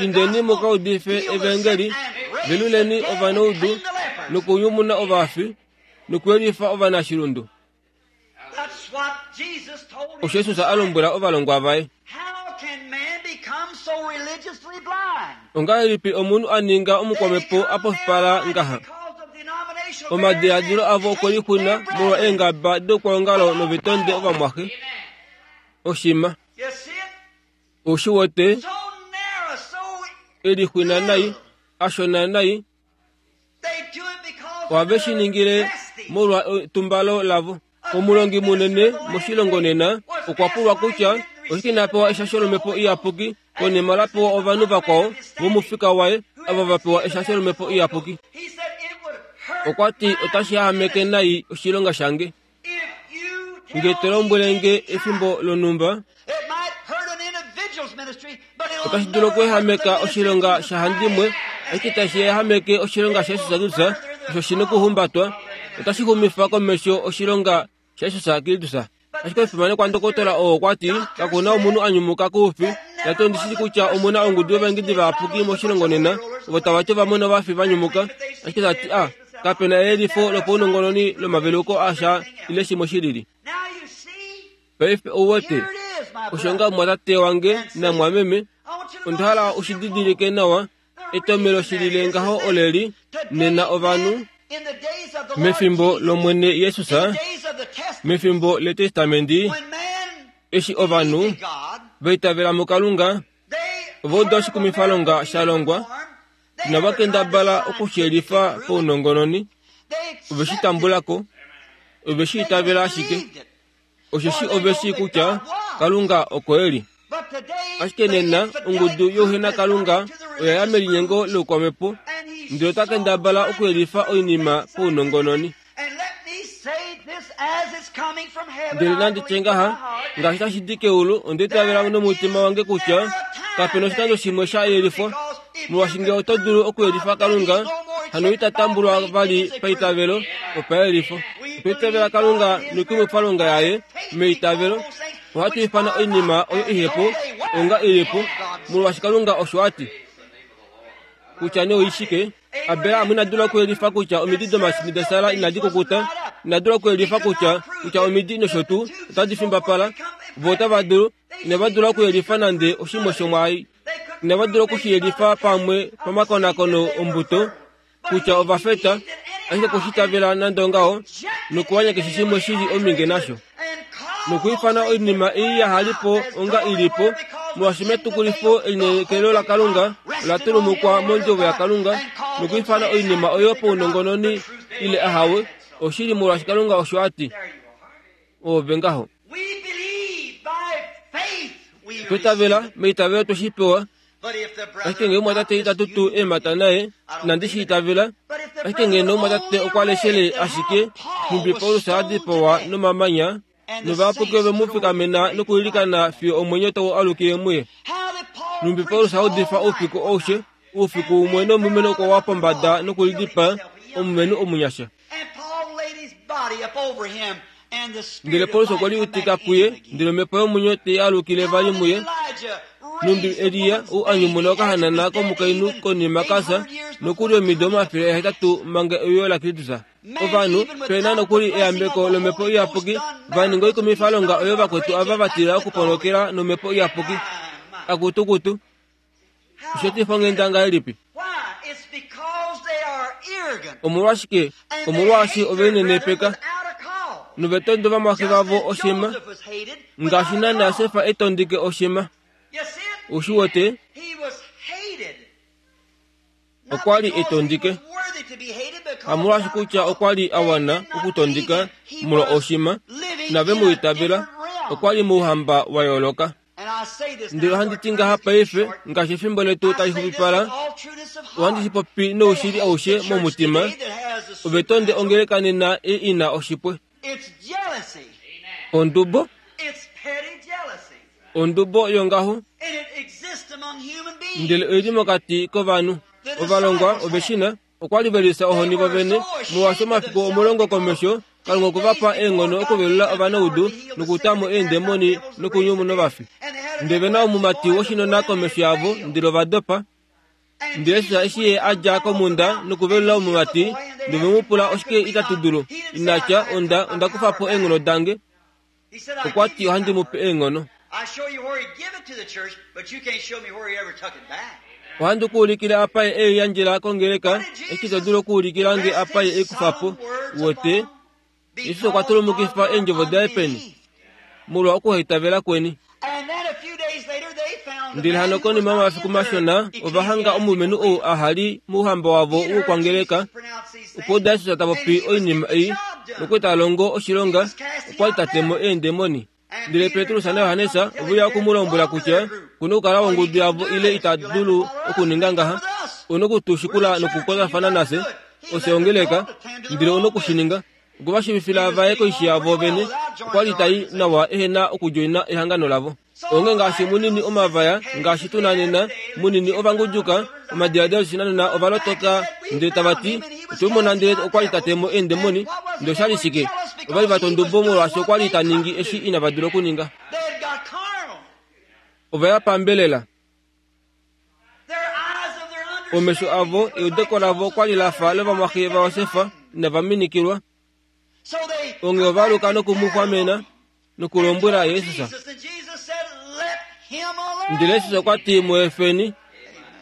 Speaker 1: Indeni mu ka udife evangeli, veluleni ovanaudu, nokunyumuna ovafi, nokuyelifa ovanashilundu. Osho Jesus a lombwela ovalongwa vaye. Ongahelipi omunhu a ninga omukwamhepo a pofipala ngaha? Omadiladilo avo okwe lixuna molwa eengaba doukwaongalo novetonde ovamwaxe. Oshima. Ou shi wete? E lixwina nai, a shona nai. Ohave shi ningile molwa etumbalo lavo. Omulongi munene moshilongo nena okwa pulwa kutya oshike ina pewa eshasho lomhepo iyapuki konima la pewa ovanhu vakwao vomufika waye ava va pewa eshasho lomhepo iyapuki. Okwa ti otashi yahameke nai oshilonga shange nge to lombwele nge efimbo lonhumba. Otashi dulu okuehameka oshilonga shahandimwe, ashike tashi ehameke oshilonga shaJesus Kristus osho shi nokuhumbatwa. Otashi xumifa komesho oshilonga shaJesus Kristus. Ashike omufimanekwa ndokotola oo okwa ti, Kaku na omunhu a nyumuka koufi. Ta ti ondi shii kutya omu na ongudu yovaengedi vayapuki moshilongo nena, ovo tava ti ova mona ovafi va nyumuka. Ashike ta ti, a, kape na eyelifo lopaunongononi lomaveluko asha ile shimwe shi lili. Paife ou wete, osho nga mumwatate wange namwameme, onda hala u shi didilike nawa, etomhelo shi lile ngaho oleli, nena ovanhu, mefimbo lOmwene Jesus, mefimbo lEtestamenti, eshi ovanhu va itavela muKalunga, ova uda oshikumifalonga sha longwa, inava kendabala okushiyelifa paunongononi, ove shi tambula ko, ove shi itavela ashike. Osheshi ove shii kutya Kalunga oko e li. Ashike nena ongudu youhenakalunga oya ya melinyengo loukwamhepo ndele ota kendabala okuyelifa oinima paunongononi. Ndele nandi tye ngaha, ngaashi tashi di keulu, onda itavela nomutima wange kutya kape na oshikando shimwe sha yelifwa, molwaashi ngee oto dulu okuyelifa Kalunga, hano ita tambulwa vali paitavelo, opayelifo. Otwa itavela Kalunga noikumwifalonga yaye meitavelo. Ohatu ifana oinima oyo ihepo onga ilipo, molwaashi Kalunga osho a ti. Kutya nee oishike, Abraham ina dula okuyelifa kutya omidi domashini daSara inadi kukuta, ina dula okuyelifa kutya kutya omidi nosho tuu otadi fimbapala. Vo otava dulu, inava dula okuyelifa nande oshimwe shomwaai. Inava dula oku shi yelifa pamwe pamakonakono ombuto kutya ova feta, ashike ku shi itavela nande ongaho, nokuwanya keshe shimwe shi li ominge nasho. Nokwiifana oinima ei yaha li po onga i li po, molwaashi metukulifo elineekelo laKalunga ola tulumukwa mOndjovo yaKalunga, nokwiifana oinima oyo paunongononi ile ahawe, oshili molwaashi Kalunga osho a ti. Oove ngaho. Otwa itavela, meitavelo twe shi pewa. Ashike ngee omumwatate ita tutu eemhata naye, inandi shi itavela. Ashike ngeno omumwatate okwa leshele ashike nhumbi Paulus a dipawa nomamanya, novayapuki ove mu fikamena nokuilikana fiyo omwenyo tau alukile muye. Nhumbi Paulus a udifa oufiku aushe, oufiku umwe nomulumenhu okwa wa pombada nokulidipaa, omulumenhu omunyasha. Ndele Paulus okwe liutika kuye, ndele omhepo yomwenyo te alukile vali muye. Nhumbi Elia ou a nyumuna okahanana komukainhu konima ka fya, nokuli omido 800 manga euyo laKristus. Ovanhu, pe na nokuli eyambeko lOmhepo Iyapuki, va ninga oikumifalonga oyo vakwetu ava va tila okuponokela nOmhepo Iyapuki. Akutukutu! Osheetifa onghenda ngahelipi? Omolwashike? Omolwaashi ove linenepeka nove tonde ovamwaxe vavo oshima, ngaashi naanaa Sefa e tondike oshima. Ou shi wete? Okwa li e tondike, hamolwaashi kutya okwa li a wana okutondika molwa oshima, inave mu itavela. Okwa li mouhamba wa yooloka. Ndele ohandi ti ngaha paife, ngaashi efimbo letu tali xupipala, ohandi shi popi noushili aushe momutima, ove tonde ongeleka nena ei i na oshipwe. Ondubo, ondubo yongaho, ndele oi li mokati kovanhu. Ovalongwa ove shi na. Okwa li ve lifya ohoni vo vene, molwaashi omafiku 10 komesho, Kalunga okwe va pa eenghono okuvelula ovanaudu nokuta mo eendemoni nokunyumuna ovafi. Ndele ve na omumati woshinona komesho yavo, ndele ova dopa. Ndele Jesus eshi ye a dja komhunda nokuvelula omumati, ndele ve mu pula oshike itatu dulu, ina tya, Onda, onda kufa po eenghono dange. Okwa ti ohandi mu pe eenghono. Ohandi ku ulikile apa ye ei yandjela kongeleka, eshi to dulu okuulikila nge apa ye ei kufa po. Uwete? Jesus okwa tulumukifa eendjovo daye peni? Molwa okuhaitavela kweni. Ndele hano konima yomafiku mashona ova hanga omulumenhu ou aha li mouhamba wavo woukwangeleka. Okwa uda Jesus ta popi oinima ei nokwe ta longo oshilonga, okwa li ta te mo eendemoni. Ndele Petrus naJohannes ove uya oku mu lombwela kutya ku na okukala wongudu yavo ile ita dulu okuninga ngaha. U na oku tu shikula nokukwatafana nafye, ofye ongeleka, ndele u na oku shi ninga. Okwe va shiivifila va ye koishi yavo vene, okwa li tai nawa ehe na okudjoina ehangano lavo. Onge ngaashi munini omavaya ngaashi tu na nena, munini ovanguduka, omadiladilo oshinanena ova lotoka ndele tava ti, Otwe mu mona ndele okwa li ta te mo eendemoni. Ndele osha li shike? Ova li va twa ondubo molwaashi okwa li ta ningi eshi inava dula okuninga. Ova ya pambelela. Omesho avo, eudeko lavo okwa li la fa lovamwaxe vaJosef inava minikilwa. Onghee ova aluka noku mu xwamena nokulombwela Jesus. Ndele Jesus okwa ti, Mu efeni.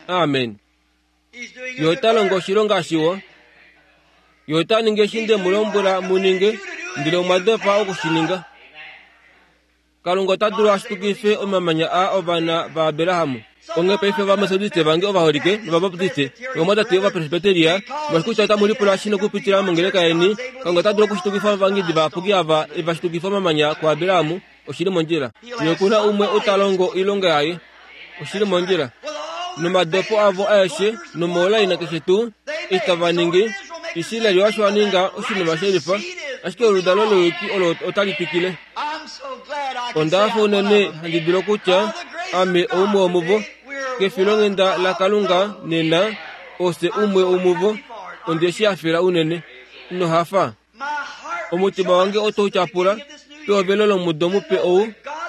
Speaker 1: Amen. Ye ota longo oshilonga shiwa. Ye ota ningi eshi nde mu lombwela mu ninge, ndele omwa dopa oku shi ninga. Kalunga ota dulu a shitukife omamanya aa ovana vaAbraham. Onghee paife Ovametodiste vange ovaholike nOvabaptiste novamwatate Ovapresbiteria, molwaashi kutya otamu lipula shi nokupitila mongeleka yeni, Kalunga ota dulu okushitukifa ovangidi vayapuki ava e va shitukifa omamanya kuAbraham. Oshi li mondjila. Ye oku na umwe ou ta longo oilonga yaye. Oshi li mondjila. Nomadopo avo aeshe nomoulaina keshe tuu eshi tava ningi, Israel osho a ninga oshinima shelifa, ashike oludalo louyuki olo otali twikile. Onda hafa unene handi dulu okutya ame oumwe womuvo. Kefilonghenda laKalunga nena, ofye umwe womuvo. Onde shi hafela unene. Ino hafa? Omutima wange otau tyapula pehovelo lomudo mupe ou,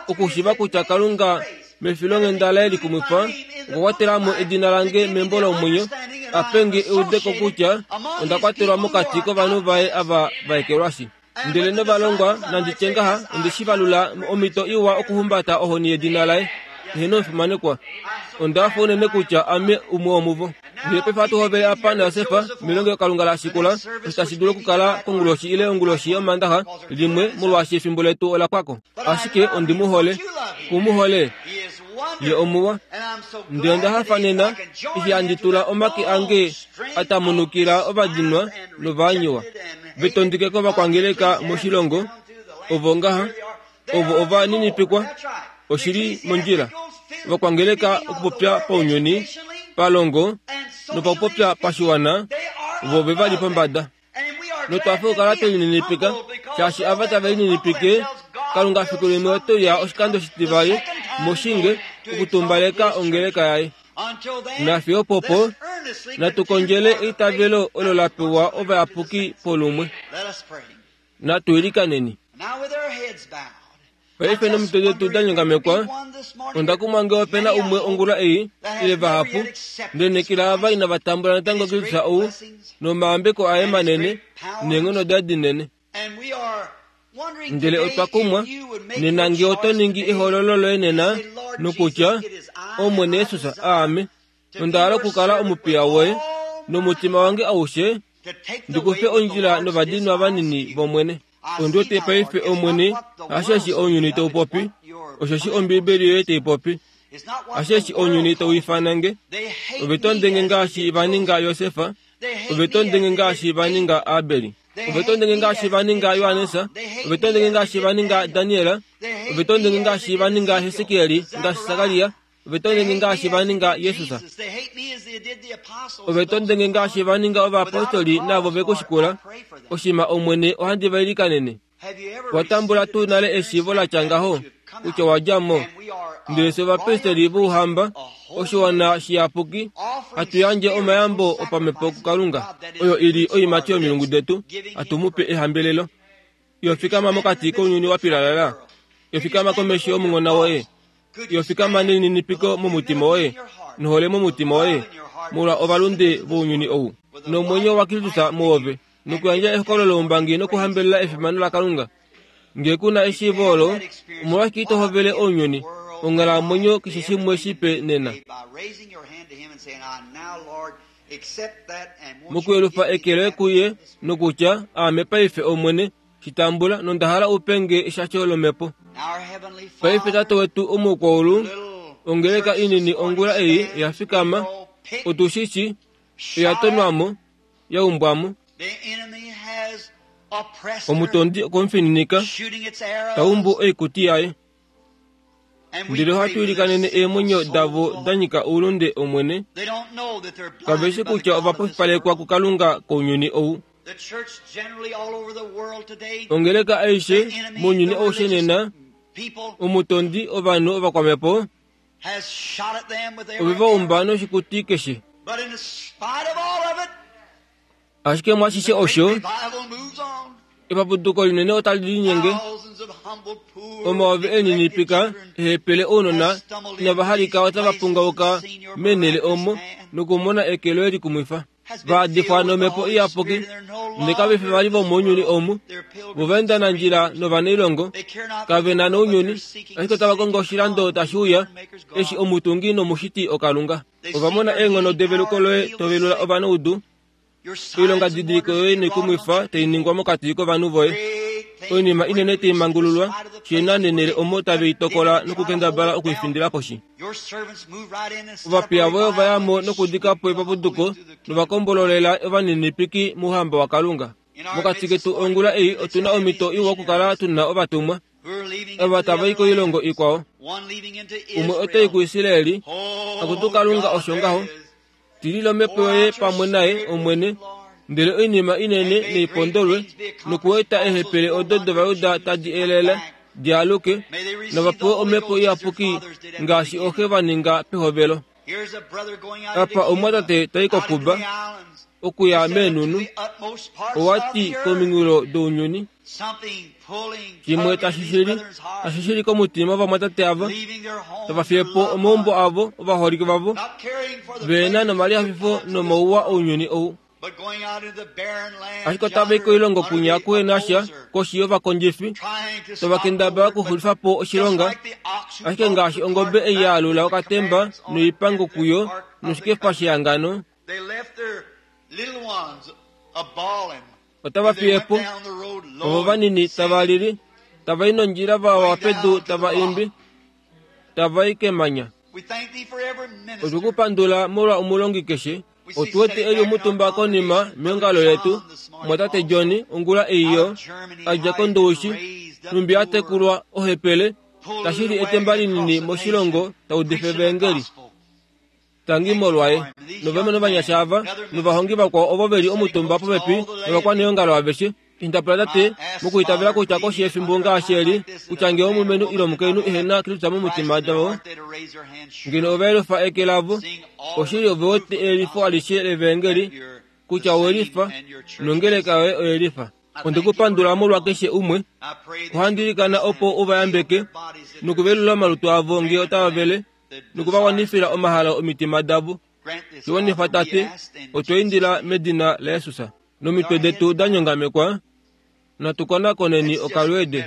Speaker 1: okushiiva kutya Kalunga mefilonghenda laye likumwifa okwa kwatela mo edina lange membo lomwenyo, a pe nge eudeko kutya onda kwatelwa mokati kovanhu vaye ava va ekelwashi. Ndele novalongwa, nandi tye ngaha, onde shi valula omhito iwa okuhumbata ohoni yedina laye. Eheno omufimanekwa, onda hafa unene kutya ame umwe womuvo. Ndele paife ohatu hovele apa naJosef melongelokalunga la shikula, osho tashi dulu okukala konguloshi ile onguloshi yOmaandaxa limwe, molwaashi efimbo letu ola pwa ko. Ashike ondi mu hole. Ku mu hole? Ye omuwa. Ndele onda hafa nena eshi handi tula omake ange a tamunukila ovadinwa novaanyiwa, ve tondike kovakwangeleka moshilongo, ovo ngaha, ovo ova ninipikwa. Oshi li mondjila. Ovakwangeleka okupopya paunyuni, palongo nopakupopya pashiwana, vo ove va li pombada. Notwa fa okukala twe lininipika, shaashi ava tave lininipike, Kalunga fiku limwe ote uya oshikando shitivali moshinge okutumbaleka ongeleka yaye. Nafiyo opopo, natu kondjele eitavelo olo la pewa ovayapuki polumwe. Natu ilikaneni. Paife nomitwe detu da nyongamekwa, onda kumwa nge ope na umwe ongula ei, ile vahapu, ndele kila ava inava tambula natango Kristus ou, nomayambeko aye manene, neenghono daye dinene. Ndele otwa kumwa, nena nge oto ningi ehoololo loye nena, nokutya, Omwene Jesus, aame, onda hala okukala omupiya woye, nomutima wange aushe, ndi kufe ondjila novadinwa vanini vOmwene. Ondi wete paife, Omwene, hasheshi ounyuni tau popi, osheshi Ombiibeli yoye tai popi. Hasheshi ounyuni tau ifana nge. Ove tonde nge ngaashi va ninga Josef, ove tonde nge ngaashi va ninga Abel, ove tonde nge ngaashi va ninga Johannes, ove tonde nge ngaashi va ninga Daniel, ove tonde nge ngaashi va ninga Hesekiel, ngaashi Sakaria, Ove tondenge ngaashi va ninga Jesus. Ove tondenge ngaashi va ninga ovapostoli naavo ve ku shikula. Oshima Omwene ohandi va ilikanene. Wa tambula tuu nale eshiivo la tya ngaho kutya wa dja mo? Ndele fye ovapristeli vouhamba, oshiwana shiyapuki, hatu yandje omayambo opamhepo kuKalunga, oyo i li oiimati yomilungu detu, hatu mu pe ehambelelo. Yo fikama mokati kounyuni wa pilalala. Yo fikama komesho yomunghona woye. Yo fikama nelininipiko momutima woye, nohole momutima woye, molwa ovalunde vounyuni ou, nomwenyo waKristus muove, nokuyandja ehokololo loumbangi nokuhambelela efimano laKalunga. Ngee ku na eshiivo olo, omolwashike ito hovele ounyuni, onghalamwenyo keshe shimwe shipe nena? Mokuyelufa eke loye kuye nokutya, Aame paife, Omwene, shi tambula nonda hala u pe nge eshasho lOmhepo. Paife Tate wetu Omukwaulu, ongeleka inini ongula ei oya fikama, otu shi shii, oya tonwa mo, ya umbwa mo. Omutondi okwe mu fininika, ta umbu oikuti yaye. Ndele ohatu ilikanene eemwenyo davo da nyika oulunde, Omwene. Kave shi kutya ova pofipalekwa kuKalunga kounyuni ou. Ongeleka aishe mounyuni aushe nena, omutondi ovanhu ovakwamhepo, ove va umba noshikuti keshe. Ashike mwashishe osho, epapuduko linene otali linyenge. Omayovi e lininipika ehepele ounona inava halika otava pungauka meenhele omo nokumona eke loye likumwifa. Va adifwa nOmhepo Iyapuki, ndele kave fi vali vomounyuni omu. Vo va enda nandjila novanailongo, kave na nounyuni, ashike otava kongo oshilando tashi uya, eshi omutungi nomushiti oKalunga. Ova mona eenghono develuko loye to velula ovanaudu, oilongadidiliko yoye noikumwifa tai ningwa mokati kovanhu voye, oinima inene tai mangululwa, she na nenele omo tave i tokola nokukendabala oku i findila poshi. Ovapiya voye ova ya mo nokudika po epapuduko nova kombololela ovaninipiki mouhamba waKalunga. Mokati ketu ongula ei otu na omhito iwa okukala tu na ovatumwa ava tava i koilongo ikwao. Umwe ota i kuIsraeli, akutu Kalunga osho ngaho. Tilila omhepo yoye pamwe naye, Omwene, ndele oinima inene neipondolwe, nokueta eehepele odo dOvajuda tadi elele di aluke, nova pewe omhepo iyapuki ngaashi ooxe va ninga pehovelo. Apa omumwatate ta i koKuba, okuya meenhunhu, owa ti kominghulo dounyuni. Shimwe tashi shili, tashi shili komutima wovamwatate ava, tava fiye po omaumbo avo, ovaholike vavo, ve na nomalihafifo nomauwa ounyuni ou. Ashike otava i koilongo kwinya kuhe na sha, koshi yovakondjifi, tava kendabala okuxulifa po oshilonga, ashike ngaashi ongobe ei ya alula okatemba noipango kuyo noshikefa shehangano, Otava fiye po ovo vanini tava lili, tava i nondjila va wa pedu tava imbi, tava i kemanya. Otwe ku pandula molwa omulongi keshe. Otu wete e li omutumba konima meongalo letu, mwatate Johnny, ongula ei yo, a dja kOndowishi, nhumbi a tekulwa ohepele, tashi li etemba linini moshilongo, ta udifa Evaengeli. Tangi molwaye. Novamwe novanyasha ava, novahongi vakwao ovo ve li omutumba popepi novakwaneongalo aveshe, Indapula tate, mokuitavela kutya koshi yefimbo ngaashi eli, kutya ngee omulumenhu ile omukainhu ehe na Kristus momitima davo, ngeno ova yelufa eke lavo, oshili ove wete eyelifo alishe lEvaengeli, kutya owe lifa, nongeleka yoye oye lifa. Onde ku pandula molwa keshe umwe. Ohandi ilikana opo u va yambeke nokuvelula omalutu avo ngee otava vele, noku va wanifila omahalo omitima davo. Shi wanifa, Tate, otwa indila medina laJesus. Nomitwe detu da nyongamekwa, natu konakoneni okalweede.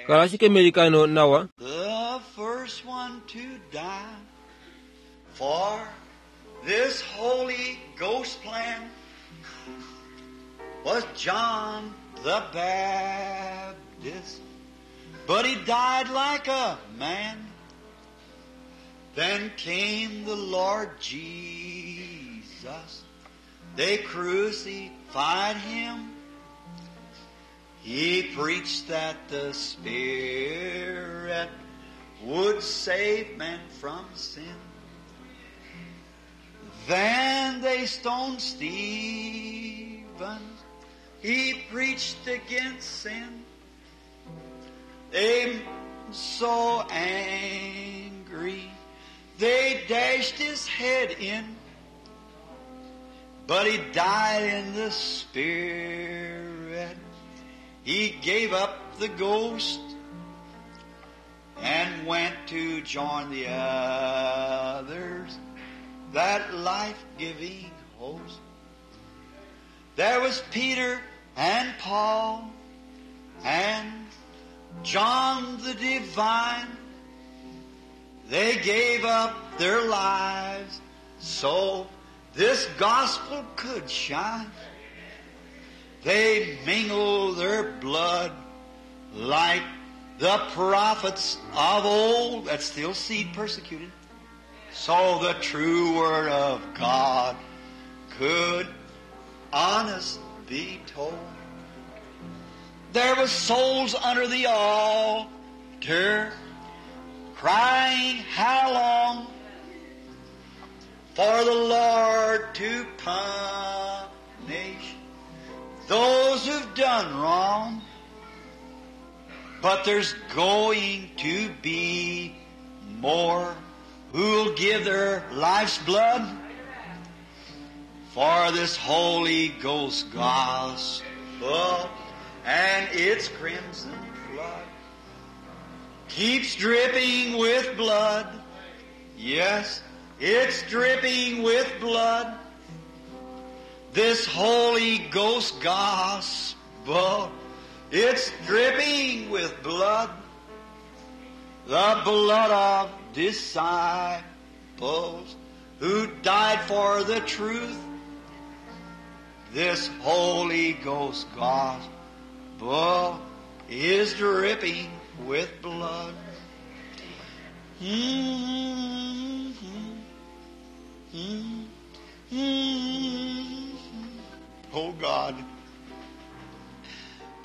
Speaker 1: Kala ashike meilikano nawa.
Speaker 2: The first one to die for this Holy Ghost plan was John the Baptist, but he died like a man. Then came the Lord Jesus. They crucified him. He preached that the Spirit would save men from sin. Then they stoned Stephen. He preached against sin. They so angry, they dashed his head in. But he died in the Spirit. He gave up the ghost. and went to join the others, that life-giving host. There was Peter and Paul and John the Divine. They gave up their lives so this gospel could shine. They mingled their blood like the prophets of old, that's still seed persecuted, so the true word of God could honest be told. There was souls under the altar crying, how long for the Lord to punish those who've done wrong. But there's going to be more who'll give their life's blood for this Holy Ghost gospel and its crimson flood keeps dripping with blood. Yes, it's dripping with blood. This Holy Ghost gospel, it's dripping with blood. The blood of disciples who died for the truth. This Holy Ghost gospel is dripping with blood. Mm-hmm. Mm-hmm. Oh God.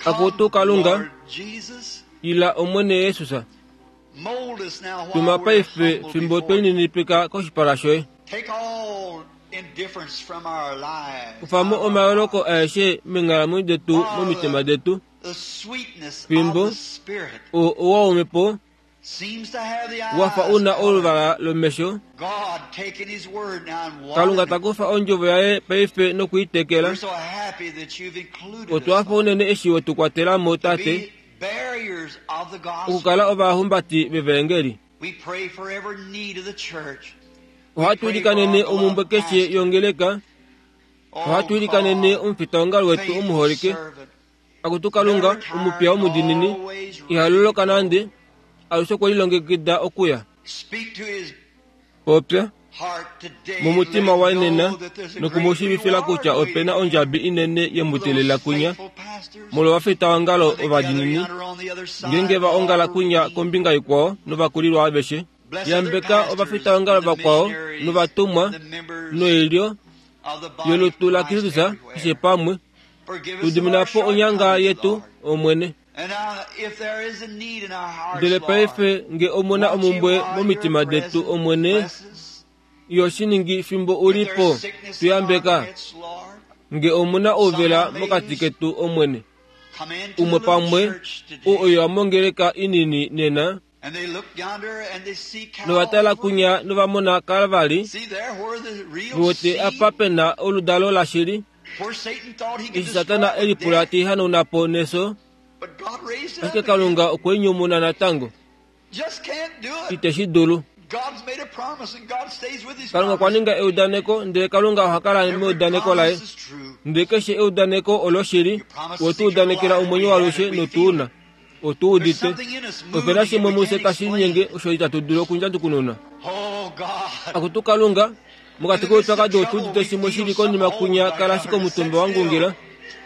Speaker 1: Akutu Kalunga.
Speaker 2: Lord Jesus,
Speaker 1: Ila Omwene Yesus
Speaker 2: mold us now while
Speaker 1: tuma
Speaker 2: we're
Speaker 1: paife
Speaker 2: humble
Speaker 1: fimbo
Speaker 2: before you.
Speaker 1: tweninipika koshipala shoye
Speaker 2: Take all indifference from our lives.
Speaker 1: kufamo omayoloko aeshe menghalamwenyo detu momitima detu
Speaker 2: The sweetness
Speaker 1: Fimbo.
Speaker 2: of the Spirit
Speaker 1: o owa womepo
Speaker 2: seems to have the
Speaker 1: wafa
Speaker 2: eyes
Speaker 1: una
Speaker 2: colored.
Speaker 1: oluvala lomesho
Speaker 2: God taking His word now and
Speaker 1: Kalunga
Speaker 2: watering it.
Speaker 1: takufa ondjovo yaye paife nokuitekela
Speaker 2: We're so happy that you've included
Speaker 1: otwafa
Speaker 2: us
Speaker 1: unene eshi wetukwatelamo
Speaker 2: to
Speaker 1: tate
Speaker 2: be barriers of the gospel.
Speaker 1: okukala ovahumbati vevengeli
Speaker 2: We pray for every need of the church.
Speaker 1: ohatu ilikanene omumbwe keshe yongeleka
Speaker 2: Oh,
Speaker 1: ohatu ilikanene
Speaker 2: God,
Speaker 1: omufitaongalo wetu
Speaker 2: faithful
Speaker 1: omuholike
Speaker 2: servant,
Speaker 1: akutu Kalunga
Speaker 2: never tired,
Speaker 1: omupya omudinini
Speaker 2: always ready.
Speaker 1: ihaloloka nande alushe okwe lilongekida okuya
Speaker 2: Speak to his
Speaker 1: popya
Speaker 2: heart today.
Speaker 1: mumutima
Speaker 2: Let
Speaker 1: waye
Speaker 2: him
Speaker 1: nena
Speaker 2: know that there's a great
Speaker 1: nokumushivifila
Speaker 2: reward
Speaker 1: kutya opena
Speaker 2: waiting
Speaker 1: ondjabi inene
Speaker 2: for
Speaker 1: yemutelela
Speaker 2: those
Speaker 1: kunya
Speaker 2: faithful pastors.
Speaker 1: molwa ovafitaongalo
Speaker 2: When they gather
Speaker 1: ovadinini
Speaker 2: yonder on the other side,
Speaker 1: ngenge va ongala
Speaker 2: all
Speaker 1: kunya
Speaker 2: redeemed.
Speaker 1: kombinga ikwao novakulilwa aveshe
Speaker 2: Bless other
Speaker 1: yambeka
Speaker 2: pastors
Speaker 1: ovafitaongalo
Speaker 2: and the
Speaker 1: vakwao
Speaker 2: missionaries
Speaker 1: novatumwa
Speaker 2: and the members
Speaker 1: noilyo
Speaker 2: of the body
Speaker 1: yolutu
Speaker 2: of
Speaker 1: la
Speaker 2: Christ
Speaker 1: Kristus
Speaker 2: everywhere.
Speaker 1: keshe pamwe
Speaker 2: Forgive us of our
Speaker 1: tudiminapo onyanga
Speaker 2: shortcomings,
Speaker 1: yetu
Speaker 2: Lord.
Speaker 1: Omwene
Speaker 2: And now, if there is a need in our hearts,
Speaker 1: ndele
Speaker 2: Lord,
Speaker 1: paife nge omuna
Speaker 2: won't you,
Speaker 1: omumbwe
Speaker 2: while
Speaker 1: momitima
Speaker 2: you're
Speaker 1: detu
Speaker 2: present,
Speaker 1: Omwene
Speaker 2: bless us?
Speaker 1: yo shiningi fimbo
Speaker 2: If
Speaker 1: ulipo
Speaker 2: there's sickness in our
Speaker 1: tuyambeka
Speaker 2: midst, Lord,
Speaker 1: nge omuna ouvela mokati ketu Omwene
Speaker 2: come into the
Speaker 1: umwe
Speaker 2: little
Speaker 1: pamwe
Speaker 2: church
Speaker 1: u
Speaker 2: today.
Speaker 1: oyo amongeleka inini nena
Speaker 2: And they look yonder and they see
Speaker 1: novatala
Speaker 2: Calvary.
Speaker 1: kunya novamona Kalvari
Speaker 2: See there where the real
Speaker 1: viwete
Speaker 2: seed,
Speaker 1: apa pena oludalo lashili
Speaker 2: where Satan thought he could
Speaker 1: eshi
Speaker 2: destroy
Speaker 1: Satana
Speaker 2: with
Speaker 1: elipula
Speaker 2: death,
Speaker 1: tihanauna neso
Speaker 2: but God raised it
Speaker 1: ashike
Speaker 2: up again.
Speaker 1: Kalunga okweinyumuna natango
Speaker 2: Just can't do it.
Speaker 1: ite shi dulu
Speaker 2: God's made a promise and God stays with his
Speaker 1: Kalunga okwa
Speaker 2: promise.
Speaker 1: ninga eudaneko ndele Kalunga oha kala
Speaker 2: Every
Speaker 1: meudaneko laye
Speaker 2: promise is true.
Speaker 1: ndele keshe eudaneko oloshili wetu udanekela omwenyo walushe notuuna otu
Speaker 2: There's
Speaker 1: udite
Speaker 2: something in us
Speaker 1: opena
Speaker 2: moving
Speaker 1: shimwe
Speaker 2: that we
Speaker 1: muse
Speaker 2: can't
Speaker 1: tashi
Speaker 2: explain.
Speaker 1: linyenge osho itatu dulu okundjandukununa
Speaker 2: Oh God.
Speaker 1: akutu Kalunga mokati koupyakadi otu udite shimwe shili konima kunya kala shike omutumba wangungila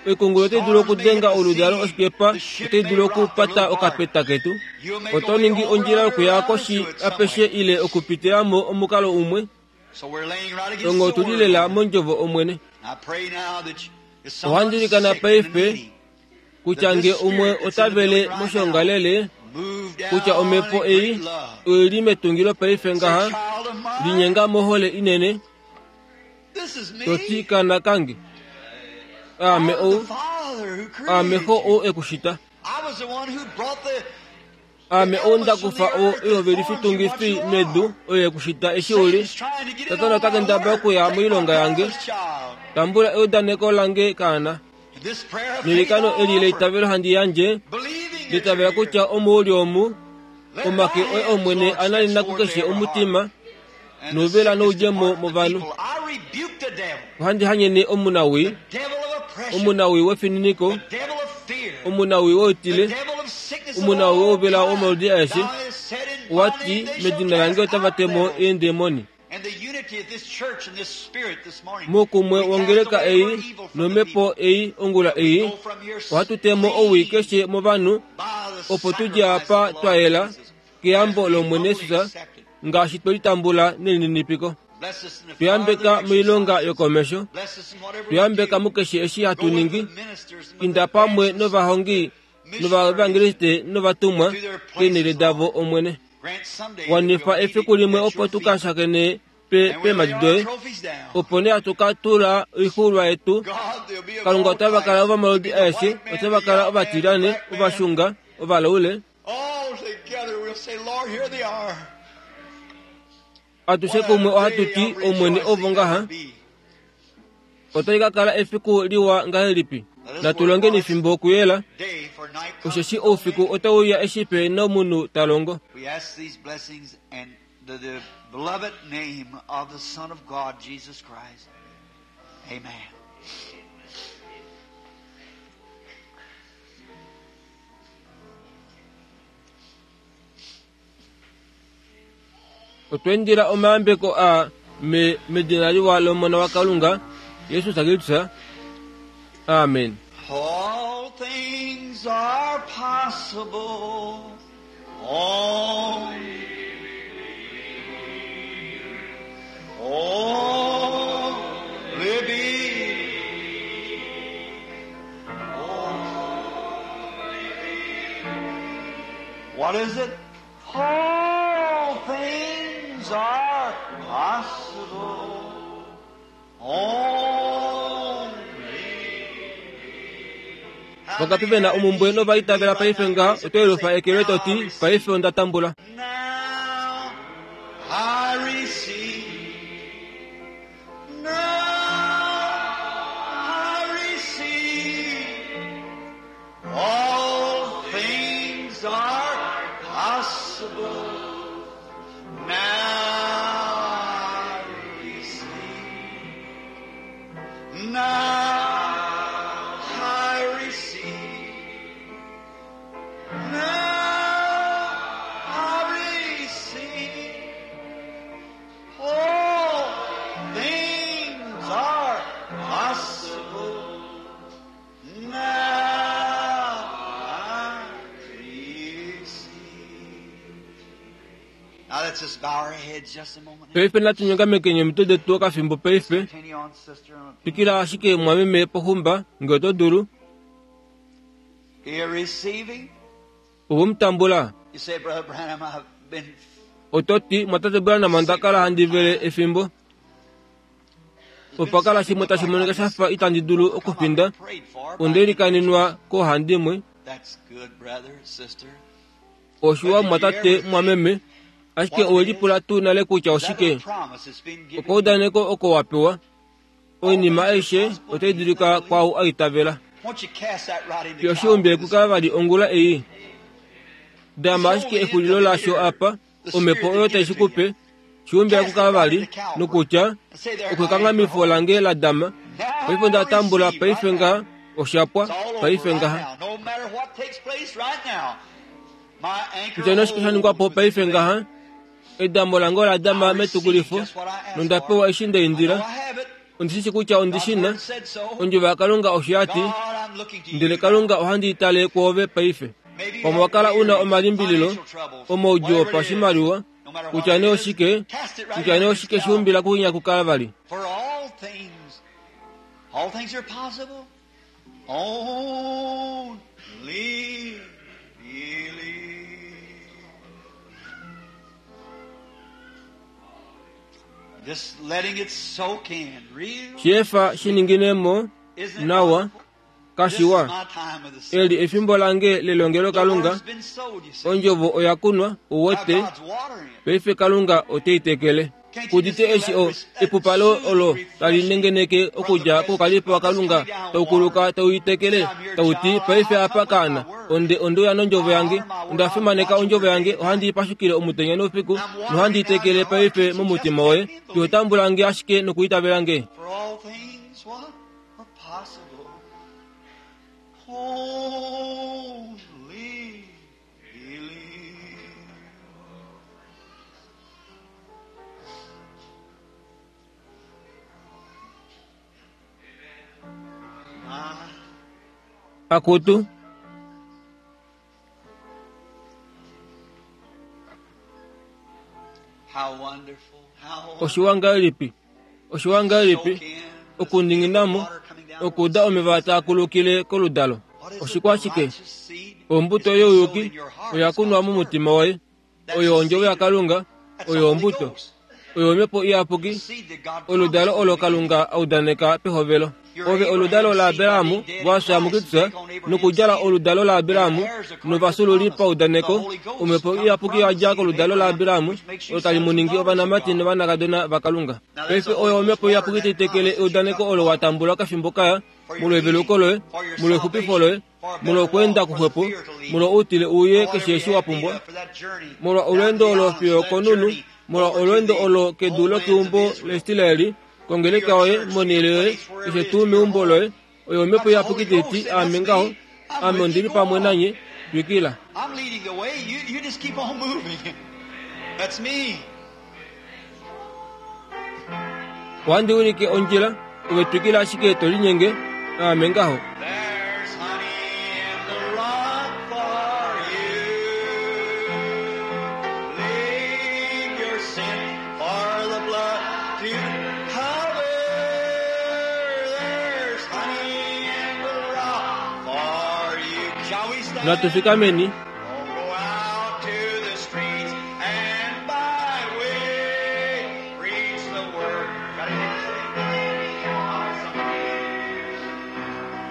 Speaker 1: oikungulu otai dulu okudenga oludalo oshikepa otai dulu okupata okapeta ketu
Speaker 2: You'll make a
Speaker 1: oto
Speaker 2: way
Speaker 1: ningi
Speaker 2: over
Speaker 1: ondjila
Speaker 2: under
Speaker 1: yokuya
Speaker 2: around
Speaker 1: koshi
Speaker 2: to it
Speaker 1: apeshe
Speaker 2: somewhere.
Speaker 1: ile okupitilamo omukalo umwe
Speaker 2: So we're laying right against
Speaker 1: ongo
Speaker 2: the
Speaker 1: otuli
Speaker 2: word.
Speaker 1: lela mondjovo Omwene
Speaker 2: I pray now that you- if
Speaker 1: Ohandi
Speaker 2: someone's
Speaker 1: likana
Speaker 2: sick and
Speaker 1: paife
Speaker 2: needy,
Speaker 1: kutya nge umwe otavele moshongalele
Speaker 2: move down
Speaker 1: kutya omhepo
Speaker 2: in
Speaker 1: ei
Speaker 2: great love.
Speaker 1: oili metungilo paife
Speaker 2: Say,
Speaker 1: ngaha
Speaker 2: child of mine,
Speaker 1: linyenga mohole inene
Speaker 2: this is me.
Speaker 1: toti kana kange aame
Speaker 2: I'm the
Speaker 1: ou
Speaker 2: Father who created
Speaker 1: aame xo
Speaker 2: you.
Speaker 1: ou ekushita
Speaker 2: I was the one who brought the
Speaker 1: aame ou ndakufa o ihovelifitungifi medu oyo ekushita eshi uli
Speaker 2: Satan's trying to get in
Speaker 1: Satana
Speaker 2: on
Speaker 1: ota
Speaker 2: my
Speaker 1: kendabala
Speaker 2: work.
Speaker 1: okuya
Speaker 2: Take my
Speaker 1: moilonga yange.
Speaker 2: promise, child.
Speaker 1: tambula eudaneko lange kaana
Speaker 2: And this prayer of faith
Speaker 1: nelikano
Speaker 2: I
Speaker 1: eli
Speaker 2: offer,
Speaker 1: leitavelo handi yandje
Speaker 2: believing that
Speaker 1: litavela
Speaker 2: you're here.
Speaker 1: kutya omu uli omu Omake oye Omwene a nanena kukeshe omutima nouvela noudjemo movanhu. Ohandi hanyene omunawii, omunawii wefininiko, omunawii woutile, omunawii wouvela womaludi aeshe, owa ti, Medina lange otava te mo eendemoni. Moukumwe wongeleka ei nomhepo ei ongula ei, ohatu te mo owii keshe movanhu, opo tu dje apa twa yela keyambo lOmwene Jesus, ngaashi twe li tambula nelininipiko. Tu yambeka moilonga yokomesho, tu yambeka mukeshe eshi hatu ningi, inda pamwe novahongi novaevangeliste novatumwa keenhele davo, Omwene. Wanifa efiku limwe opo tu ka shakene pe peemhadi doye, opo nee hatu ka tula oixuulwa yetu. Kalunga otava kala ovamaludi aeshe, otava kala ovatilyane, ovashunga, ovalaule. Atushe kumwe ohatu ti, Omwene, ovo ngaha. Otali ka kala efiku liwa ngahelipi! Natu longeni fimbo kuyela, osheshi oufiku otau uya eshi pe nomunhu ta longo. Otwa indila omayambeko a me medina liwa lOmona waKalunga, Jesus Kristus. Amen.
Speaker 2: All things are possible. Only, only believe. What is it? All things are possible. Only.
Speaker 1: Vangapi ve na omumbwe nova itavela paife ngaha oto yelufa eke loye to ti, Paife onda tambula.
Speaker 2: Now I receive. Now I receive. All things are possible. Now I receive. Now I receive. Now I receive. All things are possible. Now I receive. Now let's just bow our heads just a moment.
Speaker 1: Paife natu nyongamekeni omitwe detu okafimbo paife.
Speaker 2: Continue on, sister.
Speaker 1: Twikila ashike mwameme poxumba, nge oto dulu.
Speaker 2: You're receiving?
Speaker 1: Owe mu tambula?
Speaker 2: You say, Brother Branham, I've been
Speaker 1: Oto ti, Mwatate Branham, onda kala handi vele efimbo. Opa kala shimwe tashi monika sha fa itandi dulu okufinda. Onde likaninwa koohandimwe. Oshiwa mumwatate, mumwameme, ashike owe lipula tuu nale kutya oshike? Okaudaneko oko wa pewa. Oinima aishe otai dulika kwaau a itavela. Fiyo oshiumbi kukala vali ongula ei. Dama ashike exulilo lasho apa, omhepo oyo tai shi ku pe, shiumbila kukala vali, nokutya, Okwe lange la dama, paife onda tambula paife ngaha, osha pwa, paife ngaha. Kutya nee oshike sha ningwa po paife ngaha, edamo lange ola dama metukulifo, nonda pewa eshi nda indila. Ondi shi shi kutya ondi shi na. Ondjovo yaKalunga osho ya ti, Ndele Kalunga ohandi i tale kwoove paife. Pamwe wa kala u na omalimbililo, omaudjuu opashimaliwa, kutya nee oshike, kutya nee oshike shiumbila kuhinya kukala vali.
Speaker 2: For all things, all things are possible. Only believe. Just letting it soak in. Real.
Speaker 1: Sheefa shi ningine mo
Speaker 2: Isn't it
Speaker 1: nawa,
Speaker 2: wonderful?
Speaker 1: kashiwa. Eli efimbo lange lelongelokalunga, ondjovo oya kunwa, uwete, paife Kalunga ote i tekele. Kudite eshi o epupalo olo tali nengeneke okudja koukalipo waKalunga tau kuluka tau itekele tau ti paife apa kaana onde ondeuya nondjovo yange onda fimaneka ondjovo yange ohandi i pashukile omutenya noufiku nohandi itekele paife momutima woye ihotambula nge ashike nokuitavela nge.
Speaker 2: For all things what are possible. Only believe.
Speaker 1: Akutu
Speaker 2: How wonderful. How wonderful.
Speaker 1: Oshiwa ngahelipi oshiwa ngahelipi okuninginamo okuuda omeva taa kulukile koludalo oshikwa ashike ombuto youyuki oya kunwa momutima woye oyo ondjovo yaKalunga oyo ombuto oyo omhepo iyapuki oludalo olo Kalunga a udaneka pehovelo ove oludalo laAbrahamu wafya muKristus nokudjala oludalo laAbrahamu novafyuululi paudaneko omhepo iyapuki yadja koludalo laAbrahamu olo tali mu ningi ovanamati novanakadona vaKalunga. Paife oyo omhepo iyapuki tai tekele eudaneko olo wa tambula okafimbo kaya molweveluko loye, molwexupifo loye, molwokweenda kuxwepo, molwa outile uye keshe eshi wa pumbwa, molwa olweendo olo fiyo okonunu, molwa olweendo olo kedu lokeumbo laIsraeli, kongeleka yoye, monhele yoye, keshe tuu meumbo loye, oyo omhepo iyapuki tai ti, Aame ngaho, ame ondi li pamwe nanye, twikila.
Speaker 2: I'm leading the way. You, you just keep on moving. That's me.
Speaker 1: Ohandi wilike ondjila, ove twikila ashike to linyenge, aame ngaho.
Speaker 2: There's honey in the rock for you. Leave your sin for the blood to cover. There's honey in the rock for you. Shall we stand?
Speaker 1: Natu fikameni.
Speaker 2: Oh, go out to the streets and byway, preach the word. Got anything to say?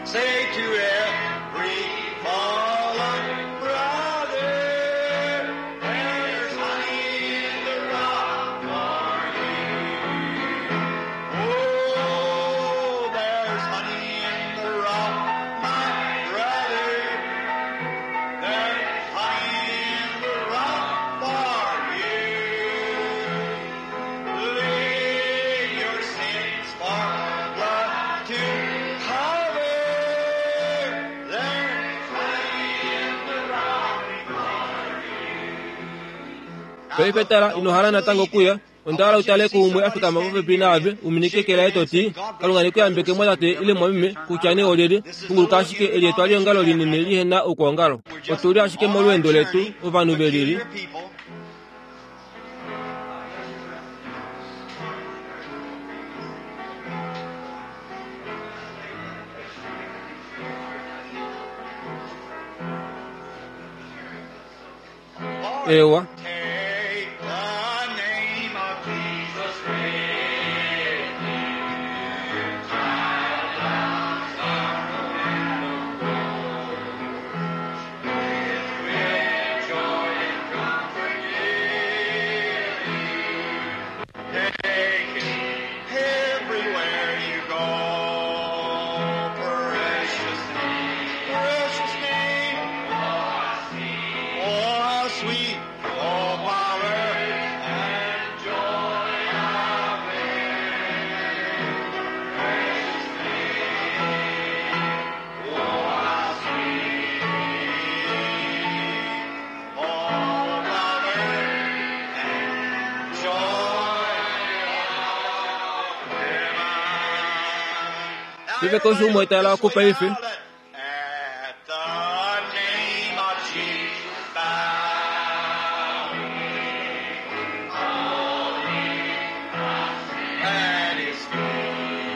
Speaker 2: Say to every fallen brother, there's honey in the rock for you. Oh, there's honey in the rock, my brother. There's honey in the rock for you. Leave your sins for blood to cover. There's honey in the rock for you.
Speaker 1: Paife tala, ino hala natango okuya. Onda hala utale kuumwe a fikama popepi naave, u minike eke laye to ti, Kalunga ne ku yambeke mwatate ile mwameme, kutya nee olyelye, punguluka ashike eli etwaliongalo linene lihe na oukwaongalo. Otu li ashike molweendo letu, ovanhu ve lili.
Speaker 2: Peculiar people.
Speaker 1: Ewa.
Speaker 2: Take the name of Jesus with you. With joy and comfort give you. Take it everywhere you go. Precious name, precious name. Oh, how sweet, oh, power and joy of it. Precious name, oh, how sweet, oh, power and joy of heaven.
Speaker 1: Paife keshe umwe tala oku paife.
Speaker 2: At the name of Jesus, bow. At his feet,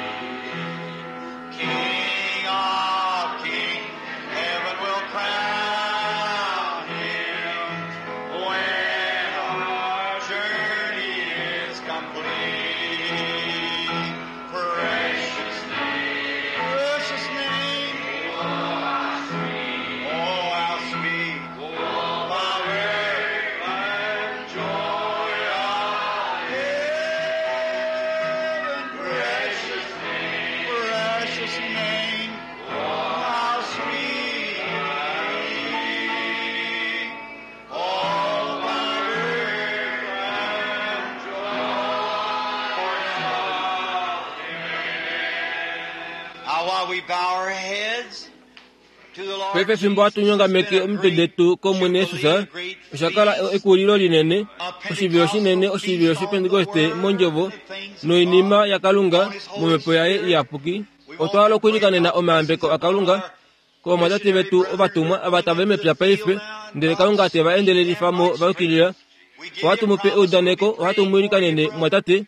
Speaker 2: King of kings, heaven will crown him when our journey is complete. Precious name, precious name.
Speaker 1: Paife fimbo hatu nyongameke omitwe detu kOmwene Jesus, osha kala ekulilo linene, oshivilo shinene, oshivilo shOpentekoste mondjovo noinima yaKalunga momhepo yaye iyapuki. Otwa hala okwiilikanena omayambeko aKalunga kovamwatate vetu ovatumwa ava tava i mepya paife, ndele Kalunga te va endelelifa mo va yukilila. Ohatu mu pe eudaneko, ohatu mu ilikanene mumwatate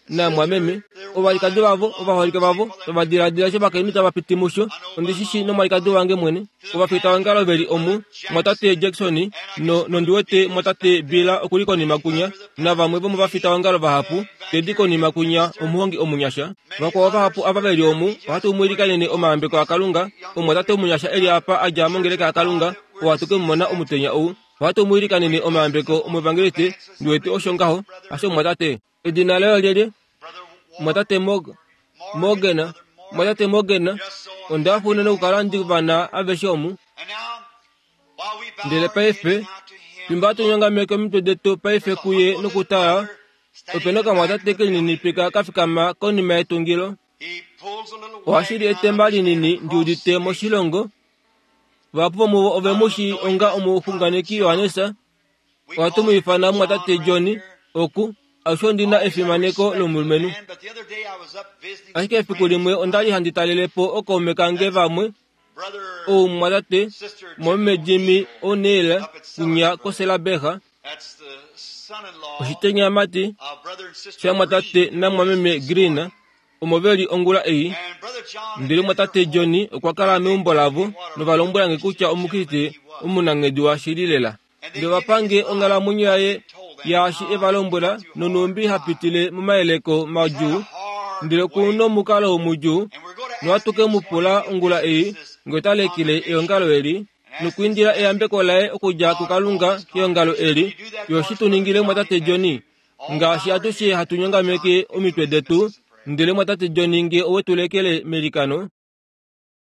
Speaker 1: namwameme, ovalikadi vavo, ovaholike vavo, tava diladila eshi ovakainhu tava piti musho. Ondi shi shii nomwalikadi wange mwene. Ovafitaongalo ve li omu, mwatate Jackson, no, nondi wete mwatate Bill oku li konima kunya, navamwe vomovafitaongalo vahapu, Teddy konima kunya, omuhongi omunyasha. Vakwao vahapu ava ve li omu, ohatu mu ilikanene omayambeko aKalunga. Omumwatate omunyasha e li apa a dja mongeleka yaKalunga, oo hatu ke mu mona omutenya ou. Ohatu mu ilikanene omayambeko omuevangeliste, ndi wete osho ngaho, hasho mumwatate? Edina laye olyelye? Mumwatate Mog, Morgan, mumwatate Morgan. Onda hafa unene okukala ndi va na aveshe omu. Ndele paife, fimbo hatu nyongameke omitwe detu paife kuye nokutala, ope na okamwatate kelininipika ka fikama konima yetungilo. Ohashi li etemba linini ndi udite moshilongo. Vahapu vomuvo ove mu shii onga omuxunganeki Johannes. Ohatu mu ifana mumwatate Johnny oku alushe ondi na efimaneko lomulumenhu. Ashike efiku limwe onda li handi talele po okaume kange vamwe, ou mumwatate mumwameme Jimmy O'Neill kunya koSelaberga, oshitenyamati shamumwatate namumwameme Green. omo ve li ongula ei. Ndele mwatate Johnny okwa kala meumbo lavo nova lombwela nge kutya Omukriste omunanghedi washili lela. Ndele ova pa nge onghalamwenyo yaye yaashi e va lombwela nonhumbi ha pitile momayeleko madjuu, ndele ku nomukalo mudjuu, nohatu ke mu pula ongula ei nge ota lekele eongalo eli nokuindila eyambeko laye okudja kuKalunga keongalo eli, yo shi tu ningile mwatate Johnny. Ngaashi atushe hatu nyongameke omitwe detu, ndele mwatate Johnny nge owe tu lekele melikano.